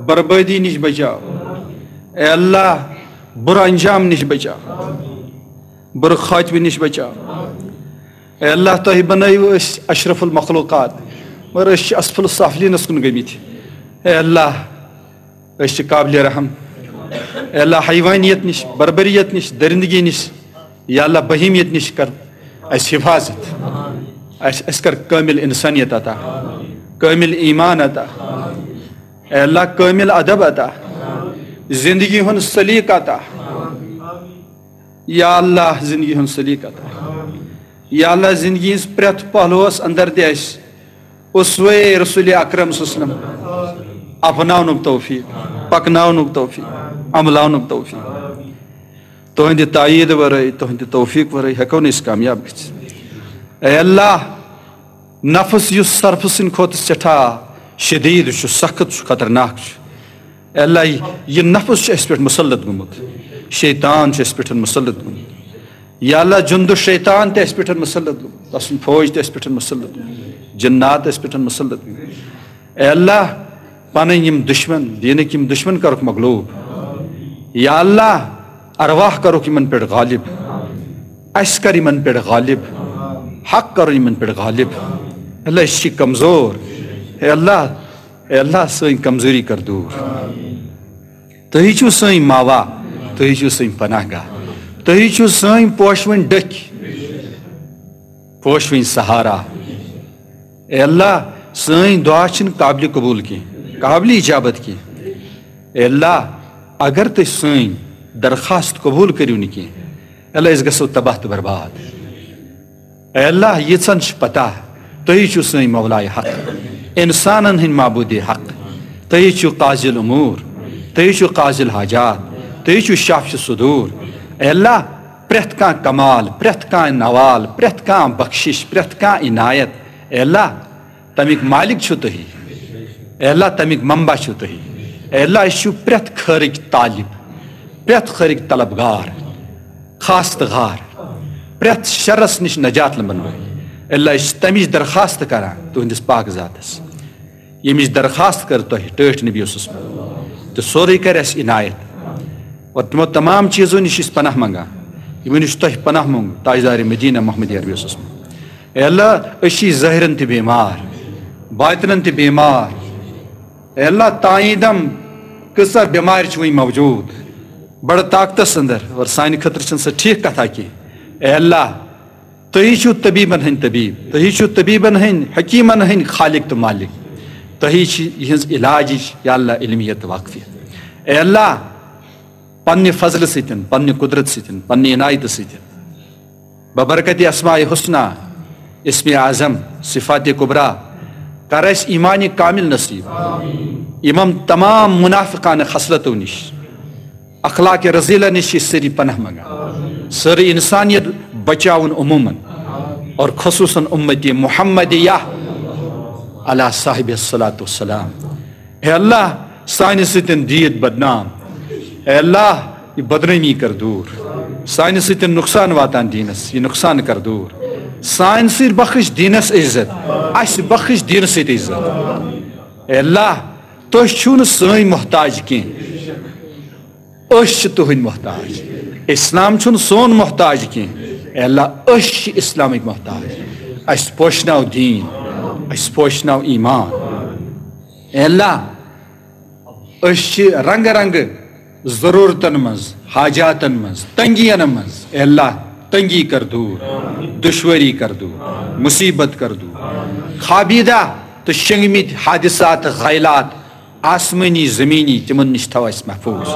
بربٲدی نِش بچاو۔ اے اللہ، بُرٕ انجام نِش بچاو، بُرٕ خاتمہٕ نِش بچاو۔ اے اللہ، تۄہہِ بنٲیِو أسۍ اشرف المخلوقات، مگر أسۍ چھِ اسفل السافلینس کُن گٔمٕتۍ۔ اے اللہ، أسۍ چھِ قابلِ رحم۔ اے اللہ، حیوانیت نِش، بربریت نِش، درندگی نِش، یا اللہ، بہیمیت نِش کر اَسہِ حفاظت۔ اَسہِ، اَسہِ کر کٲمِل اِنسٲنیت عطا، کٲمِل ایمان عطا۔ اے اللہ، کٲمِل ادب عطا، زندگی ہُنٛد سلیقہٕ عطا۔ یا اللہ، زندگی ہُنٛد سلیقہٕ عطا۔ یا اللہ، زندگی ہٕنٛز پرٛٮ۪تھ پہلوَس اندر دِ اَسہِ اسوہ رسول اکرم صلی اللہ علیہ وسلم اپناونُک توفیق، پکناونُک توفیق، عملاونُک توفیق۔ تُہنٛدِ تایید ورٲے، تُہنٛدِ توفیق ورٲے ہٮ۪کو نہٕ أسۍ کامیاب گٔژھِتھ۔ اے اللہ، نفس یُس سرپھ سٕنٛدِ کھۄتہٕ سٮ۪ٹھاہ شدید چھُ، سخت چھُ، خطرناک چھُ، اے اللہ، یہِ نفس چھُ اَسہِ پٮ۪ٹھ مسلط گوٚمُت، شیطان چھُ اَسہِ پٮ۪ٹھ مسلط گوٚمُت۔ یا اللہ، جُنٛدُ شیطان تہِ اَسہِ پٮ۪ٹھ مسلط گوٚمُت، تسُنٛد فوج تہِ اَسہِ پٮ۪ٹھ مسلط گوٚمُت، جنات اَسہِ پٮ۪ٹھ مسلط گوٚمُت۔ اے اللہ، پنٕنۍ یِم دُشمن، دیٖنٕکۍ یِم دُشمن کرُکھ مغلوب۔ یا اللہ، ارواح کرُکھ یِمن پٮ۪ٹھ غالب، اَسہِ کر یِمن پٮ۪ٹھ غالب، حق کرُن یِمن پٮ۪ٹھ غالب۔ اللہ، أسۍ چھِ کمزور۔ اے اللہ، اے اللہ، سٲنۍ کمزوری کر دوٗر۔ تُہی چھِو سٲنۍ ماوا، تُہی چھِو سٲنۍ پناہ گاہ، تُہی چھِو سٲنۍ پوشوٕنۍ ڈٔکھۍ، پوشوٕنۍ سہارا۔ اے اللہ، سٲنۍ دعا چھِنہٕ قابلِ قبوٗل کینٛہہ، قابلِ اجابت کینٛہہ۔ اے اللہ، اگر تُہۍ سٲنۍ درخواست قبوٗل کٔرِو نہٕ کینٛہہ، اللہ، أسۍ گژھو تباہ تہٕ برباد۔ اے اللہ، ییٖژہن چھِ پتہ، تُہی چھِو سٲنۍ مولایہِ حق، اِنسانن ہٕنٛدۍ معبوٗدِ حق، تُہی چھِو قاضی الامور، تُہی چھِو قاضی الحاجات، تُہی چھِو شافی الصدور۔ اے اللہ، پرٛٮ۪تھ کانٛہہ کمال، پرٛٮ۪تھ کانٛہہ نوال، پرٛٮ۪تھ کانٛہہ بخشش، پرٛٮ۪تھ کانٛہہ عنایت، اے اللہ، تَمِکۍ مالک چھِو تُہی۔ اے اللہ، تَمِکۍ منبع چھِو تُہی۔ اے اللہ، أسۍ چھِو پرٛٮ۪تھ خٲرٕکۍ طالب، پرٛٮ۪تھ خٲرٕکۍ طلبگار، خاستگار، پرٛٮ۪تھ شرس نِش نجات لبن وٲلۍ۔ اے اللہ، أسۍ چھِ تَمِچ درخواست کران تُہنٛدِس پاک ذاتس، ییٚمِچ درخواست کٔر تۄہہِ ٹٲٹھۍ نبی اوسُس منٛز، تہٕ سورُے کرِ اَسہِ عنایت۔ اور تِمو تمام چیٖزو نِش چھِ أسۍ پناہ منگان، یِمو نِش تۄہہِ پناہ منٛگ، تاجدار مدینہ محمد عربی اوسُس منٛز۔ اے اللہ، أسۍ چھِ ظٲہرن تہِ بیمار، باطنن تہِ بیمار۔ اے اللہ، تائیدم کۭژاہ بیمارِ چھِ وٕنہِ موجود، بڑٕ طاقتس اندر، اور سانہِ خٲطرٕ چھَنہٕ سۄ ٹھیٖک کتھا کینٛہہ۔ اے اللہ، تُہی چھِو طبیبن ہٕنٛدۍ طبیب، تُہی چھِو طبیبن ہٕنٛدۍ، حکیمن ہٕنٛدۍ خالق تہٕ مالک، تُہی چھِ یِہٕنٛز علاجٕچ یا اللہ علمیت تہٕ واقفیت۔ اے اللہ، پننہِ فضلہٕ سۭتۍ، پننہِ قدرت سۭتۍ، پننہِ عنایتہٕ سۭتۍ، ببرکت اسماء حسنہ، اسم اعظم، صفات کبریٰ، کر اَسہِ ایمان کامل نصیب۔ یِمن تمام منافقانہ خصلتو نِش، اخلاق رذیلہ نِش چھِ أسۍ سٲری پناہ منگان۔ سٲرٕے انسانیت بچاوُن عموماً اور خصوصاً امت محمدیہ علی صاحب الصلاۃ والسلام۔ اے اللہ، سانہِ سۭتۍ دِیِتھ بدنام۔ اے اللہ، یہِ بدنٲمی کر دوٗر۔ سانہِ سۭتۍ نۄقصان واتان دیٖنس، یہِ نۄقصان کر دوٗر۔ سانہِ سۭتۍ بخش دیٖنس عزت، اَسہِ بخش دیٖنس سۭتۍ عزت۔ اے اللہ، تُہۍ چھِو نہٕ سٲنۍ محتاج کینٛہہ، أسۍ چھِ تُہٕنٛدۍ محتاج۔ اسلام چھُنہٕ سون محتاج کینٛہہ۔ اے اللہ، أسۍ چھِ اسلامٕکۍ محتاج۔ اَسہِ پوشناو دیٖن، اَسہِ پوشناو ایمان۔ اے اللہ، أسۍ چھِ رنگہٕ رنگہٕ ضروٗرتن منٛز، حاجاتن منٛز، تنگین منٛز۔ اے اللہ، تنگی کر دوٗر، دشوٲری کر دوٗر، مصیبت کر دوٗر۔ خوابیدہ تہٕ شنگمٕتۍ حادثات، غیلات، آسمٲنی، زمینی، تِمن نِش تھاو اَسہِ محفوٗظ،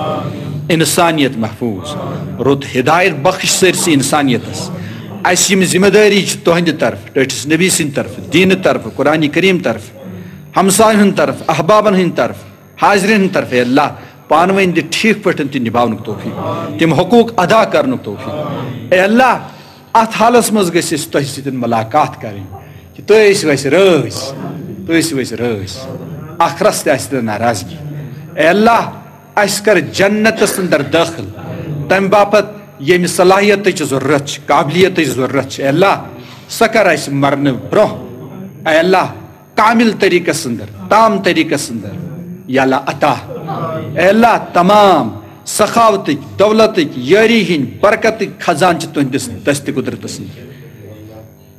انسانیت محفوٗظ۔ رُت ہدایت بخش سٲرسٕے انسانیتس۔ اَسہِ یِم ذمہ دٲری چھِ تُہنٛدِ طرفہٕ، ٹٲٹھِس نبی سٕنٛدِ طرفہٕ، دیٖنہٕ طرفہٕ، قرآن کریم طرفہٕ، ہمساین ہٕنٛدِ طرفہٕ، احبابن ہٕنٛدِ طرفہٕ، حاضرین ہٕنٛدِ طرفہٕ، اے اللہ، پانہٕ ؤنۍ دِ ٹھیٖک پٲٹھۍ تہِ نباونُک توفیق، تِم حقوٗق ادا کرنُک توفیق۔ اے اللہ، اتھ حالس منٛز گژھِ اَسہِ تۄہہِ سۭتۍ ملاقات کرٕنۍ، کہِ تُہۍ ٲسِو اَسہِ رٲضۍ، تُہۍ ٲسِو اَسہِ رٲضۍ، ٲخرس تہِ آسہِ نہٕ ناراضگی۔ اے اللہ، اَسہِ کر جنتس اندر دٲخل، تمہِ باپتھ ییٚمہِ صلاحیتٕچ ضروٗرت چھِ، قابلیتٕچ ضروٗرت چھِ، اے اللہ، سۄ کر اَسہِ مرنہٕ برونٛہہ، اے اللہ، کامل طریقس اندر، تام طریقس اندر، یا اللہ، عطا۔ اے اللہ، تمام سخاوتٕکۍ، دولتٕکۍ، یٲری ہٕنٛدۍ، برکتٕکۍ خزانہٕ چھِ تُہنٛدِس دستِ قدرتس اندر۔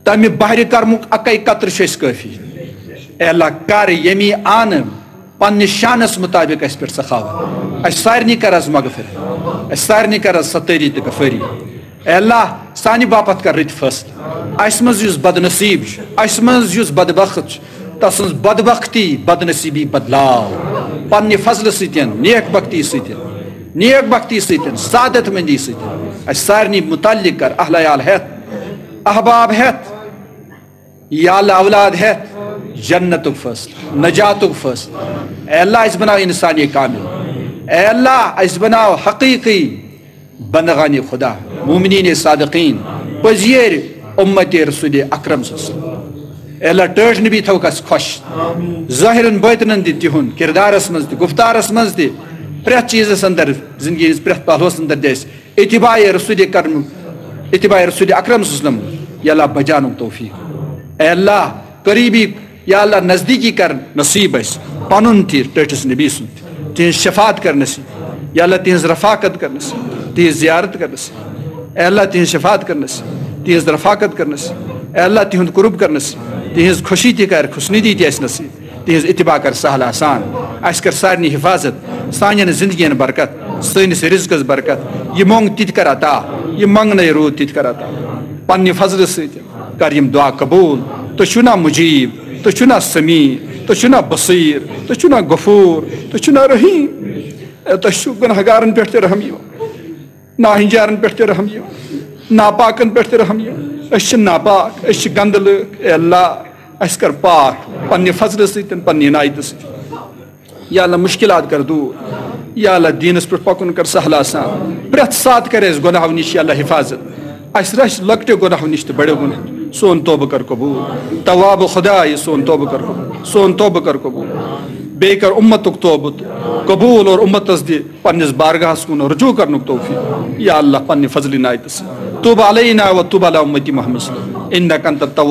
تمہِ بحرِ کرمُک اکے قطرٕ چھُ اَسہِ کٲفی۔ اے اللہ، کر ییٚمی آنہٕ پننہِ شانس مطابق اَسہِ پٮ۪ٹھ سخاوت۔ اَسہِ سارنٕے کر از مغفرت۔ اَسہِ سارنٕے کر از ستٲری تہٕ غفٲری۔ اے اللہ، سانہِ باپتھ کر رٕتۍ فٲصلہٕ۔ اَسہِ منٛز یُس بدنصیب چھُ، اَسہِ منٛز یُس بدبخت چھُ، تسٕنٛز بدبختی، بدنصیبی بدلاو پننہِ فضلہٕ سۭتۍ، نیک بختی سۭتۍ، نیک بختی سۭتۍ، سعادت مندی سۭتۍ۔ اَسہِ سارنٕے متعلق کر اہل عیال ہٮ۪تھ، احباب ہٮ۪تھ، یا اللہ، اولاد ہٮ۪تھ جنتُک فٲصلہٕ، نجاتُک فٲصلہٕ۔ اے اللہ، اَسہِ بناو انسانِ کامل۔ اے اللہ، اَسہِ بناو حقیقی بندگانِ خدا، مومنینِ صادقین، پٔزۍ یٲرۍ امتِ رسولِ اکرم صلی اللہ علیہ وسلم۔ اے اللہ، ٹٲٹھۍ نبی تھاوکھ اَسہِ خۄش، ظٲہرن باطنن تہِ تِہُنٛد، کردارس منٛز تہِ، گفتارس منٛز تہِ، پرٛٮ۪تھ چیٖزس اندر، زندگی ہٕنٛدِس پرٛٮ۪تھ پہلوس اندر دِ اَسہِ اتباع رسول کرم، اتباع رسول اکرم صلی اللہ علیہ وسلم، یا اللہ، بچاونُک توفیق۔ اے اللہ، قریبی، یا اللہ، نزدیکی کر نصیب اَسہِ، پنُن تہِ، ٹٲٹھِس نبی سُنٛد تہِ، تِہنٛز شفاعت کر نصیب، یا اللہ، تِہنٛز رفاقت کر نصیب، تِہنٛز زیارت کر نصیب۔ اے اللہ، تِہنٛز شفاعت کر نصیب، تِہنٛز رفاقت کر نصیب۔ اے اللہ، تِہُنٛد قرب کر نصیب، تِہنٛز خوشی تہِ کر، خوشنودی تہِ اَسہِ نصیب، تِہنٛز اتباع کر سہل آسان۔ اَسہِ کر سارنٕے حفاظت، سانٮ۪ن زندگین برکت، سٲنِس رزقس برکت۔ یہِ مۄنگ تہِ تہِ کر عطا، یہِ منگنے روٗد تہِ تہِ کر عطا۔ پننہِ فضلہٕ سۭتۍ کر یِم دعا قبول۔ تُہۍ چھِو نا مجیب، تُہۍ چھِو نا سمیع، تُہۍ چھِو نا بصیر، تُہۍ چھِو نا غفور، تُہۍ چھِو نا رحیم۔ اے، تۄہہِ چھُو گناہگارن پٮ۪ٹھ تہِ رحم یِوان، ناہنجارن پٮ۪ٹھ تہِ رحم یِوان۔ ناپاکن پٮ۪ٹھ تہِ رحم۔ أسۍ چھِ ناپاک، أسۍ چھِ گنٛدٕ لٕکھ۔ اے اللہ، اَسہِ کر پاک پننہِ فضلہٕ سۭتۍ، پننہِ عنایتہٕ سۭتۍ۔ یا اللہ، مشکلات کر دور۔ یا اللہ، دیٖنس پٮ۪ٹھ پکُن کر سہل آسان۔ پرٛٮ۪تھ ساتہٕ کر اَسہِ گۄناہو نِش، یا اللہ، حفاظت۔ اَسہِ رچھ لۄکٹیو گۄناہو نِش تہٕ بڑیو گۄناہو۔ سون توبہٕ کر قبول۔ تواب خداے، سون توبہٕ کر قبول۔ سون توبہٕ کر قبول۔ بیٚیہِ کر اُمتُک توبہٕ تہٕ قبول اور اُمتس دِ پننِس بارگاہس کُن رجوع کرنُک توفیق۔ یا اللہ، پننہِ فضلہِ عنایتہٕ سۭتۍ۔ توب علینا و توب علی امتی محمد صلی اللہ علیہ وسلم۔ انک انت التواب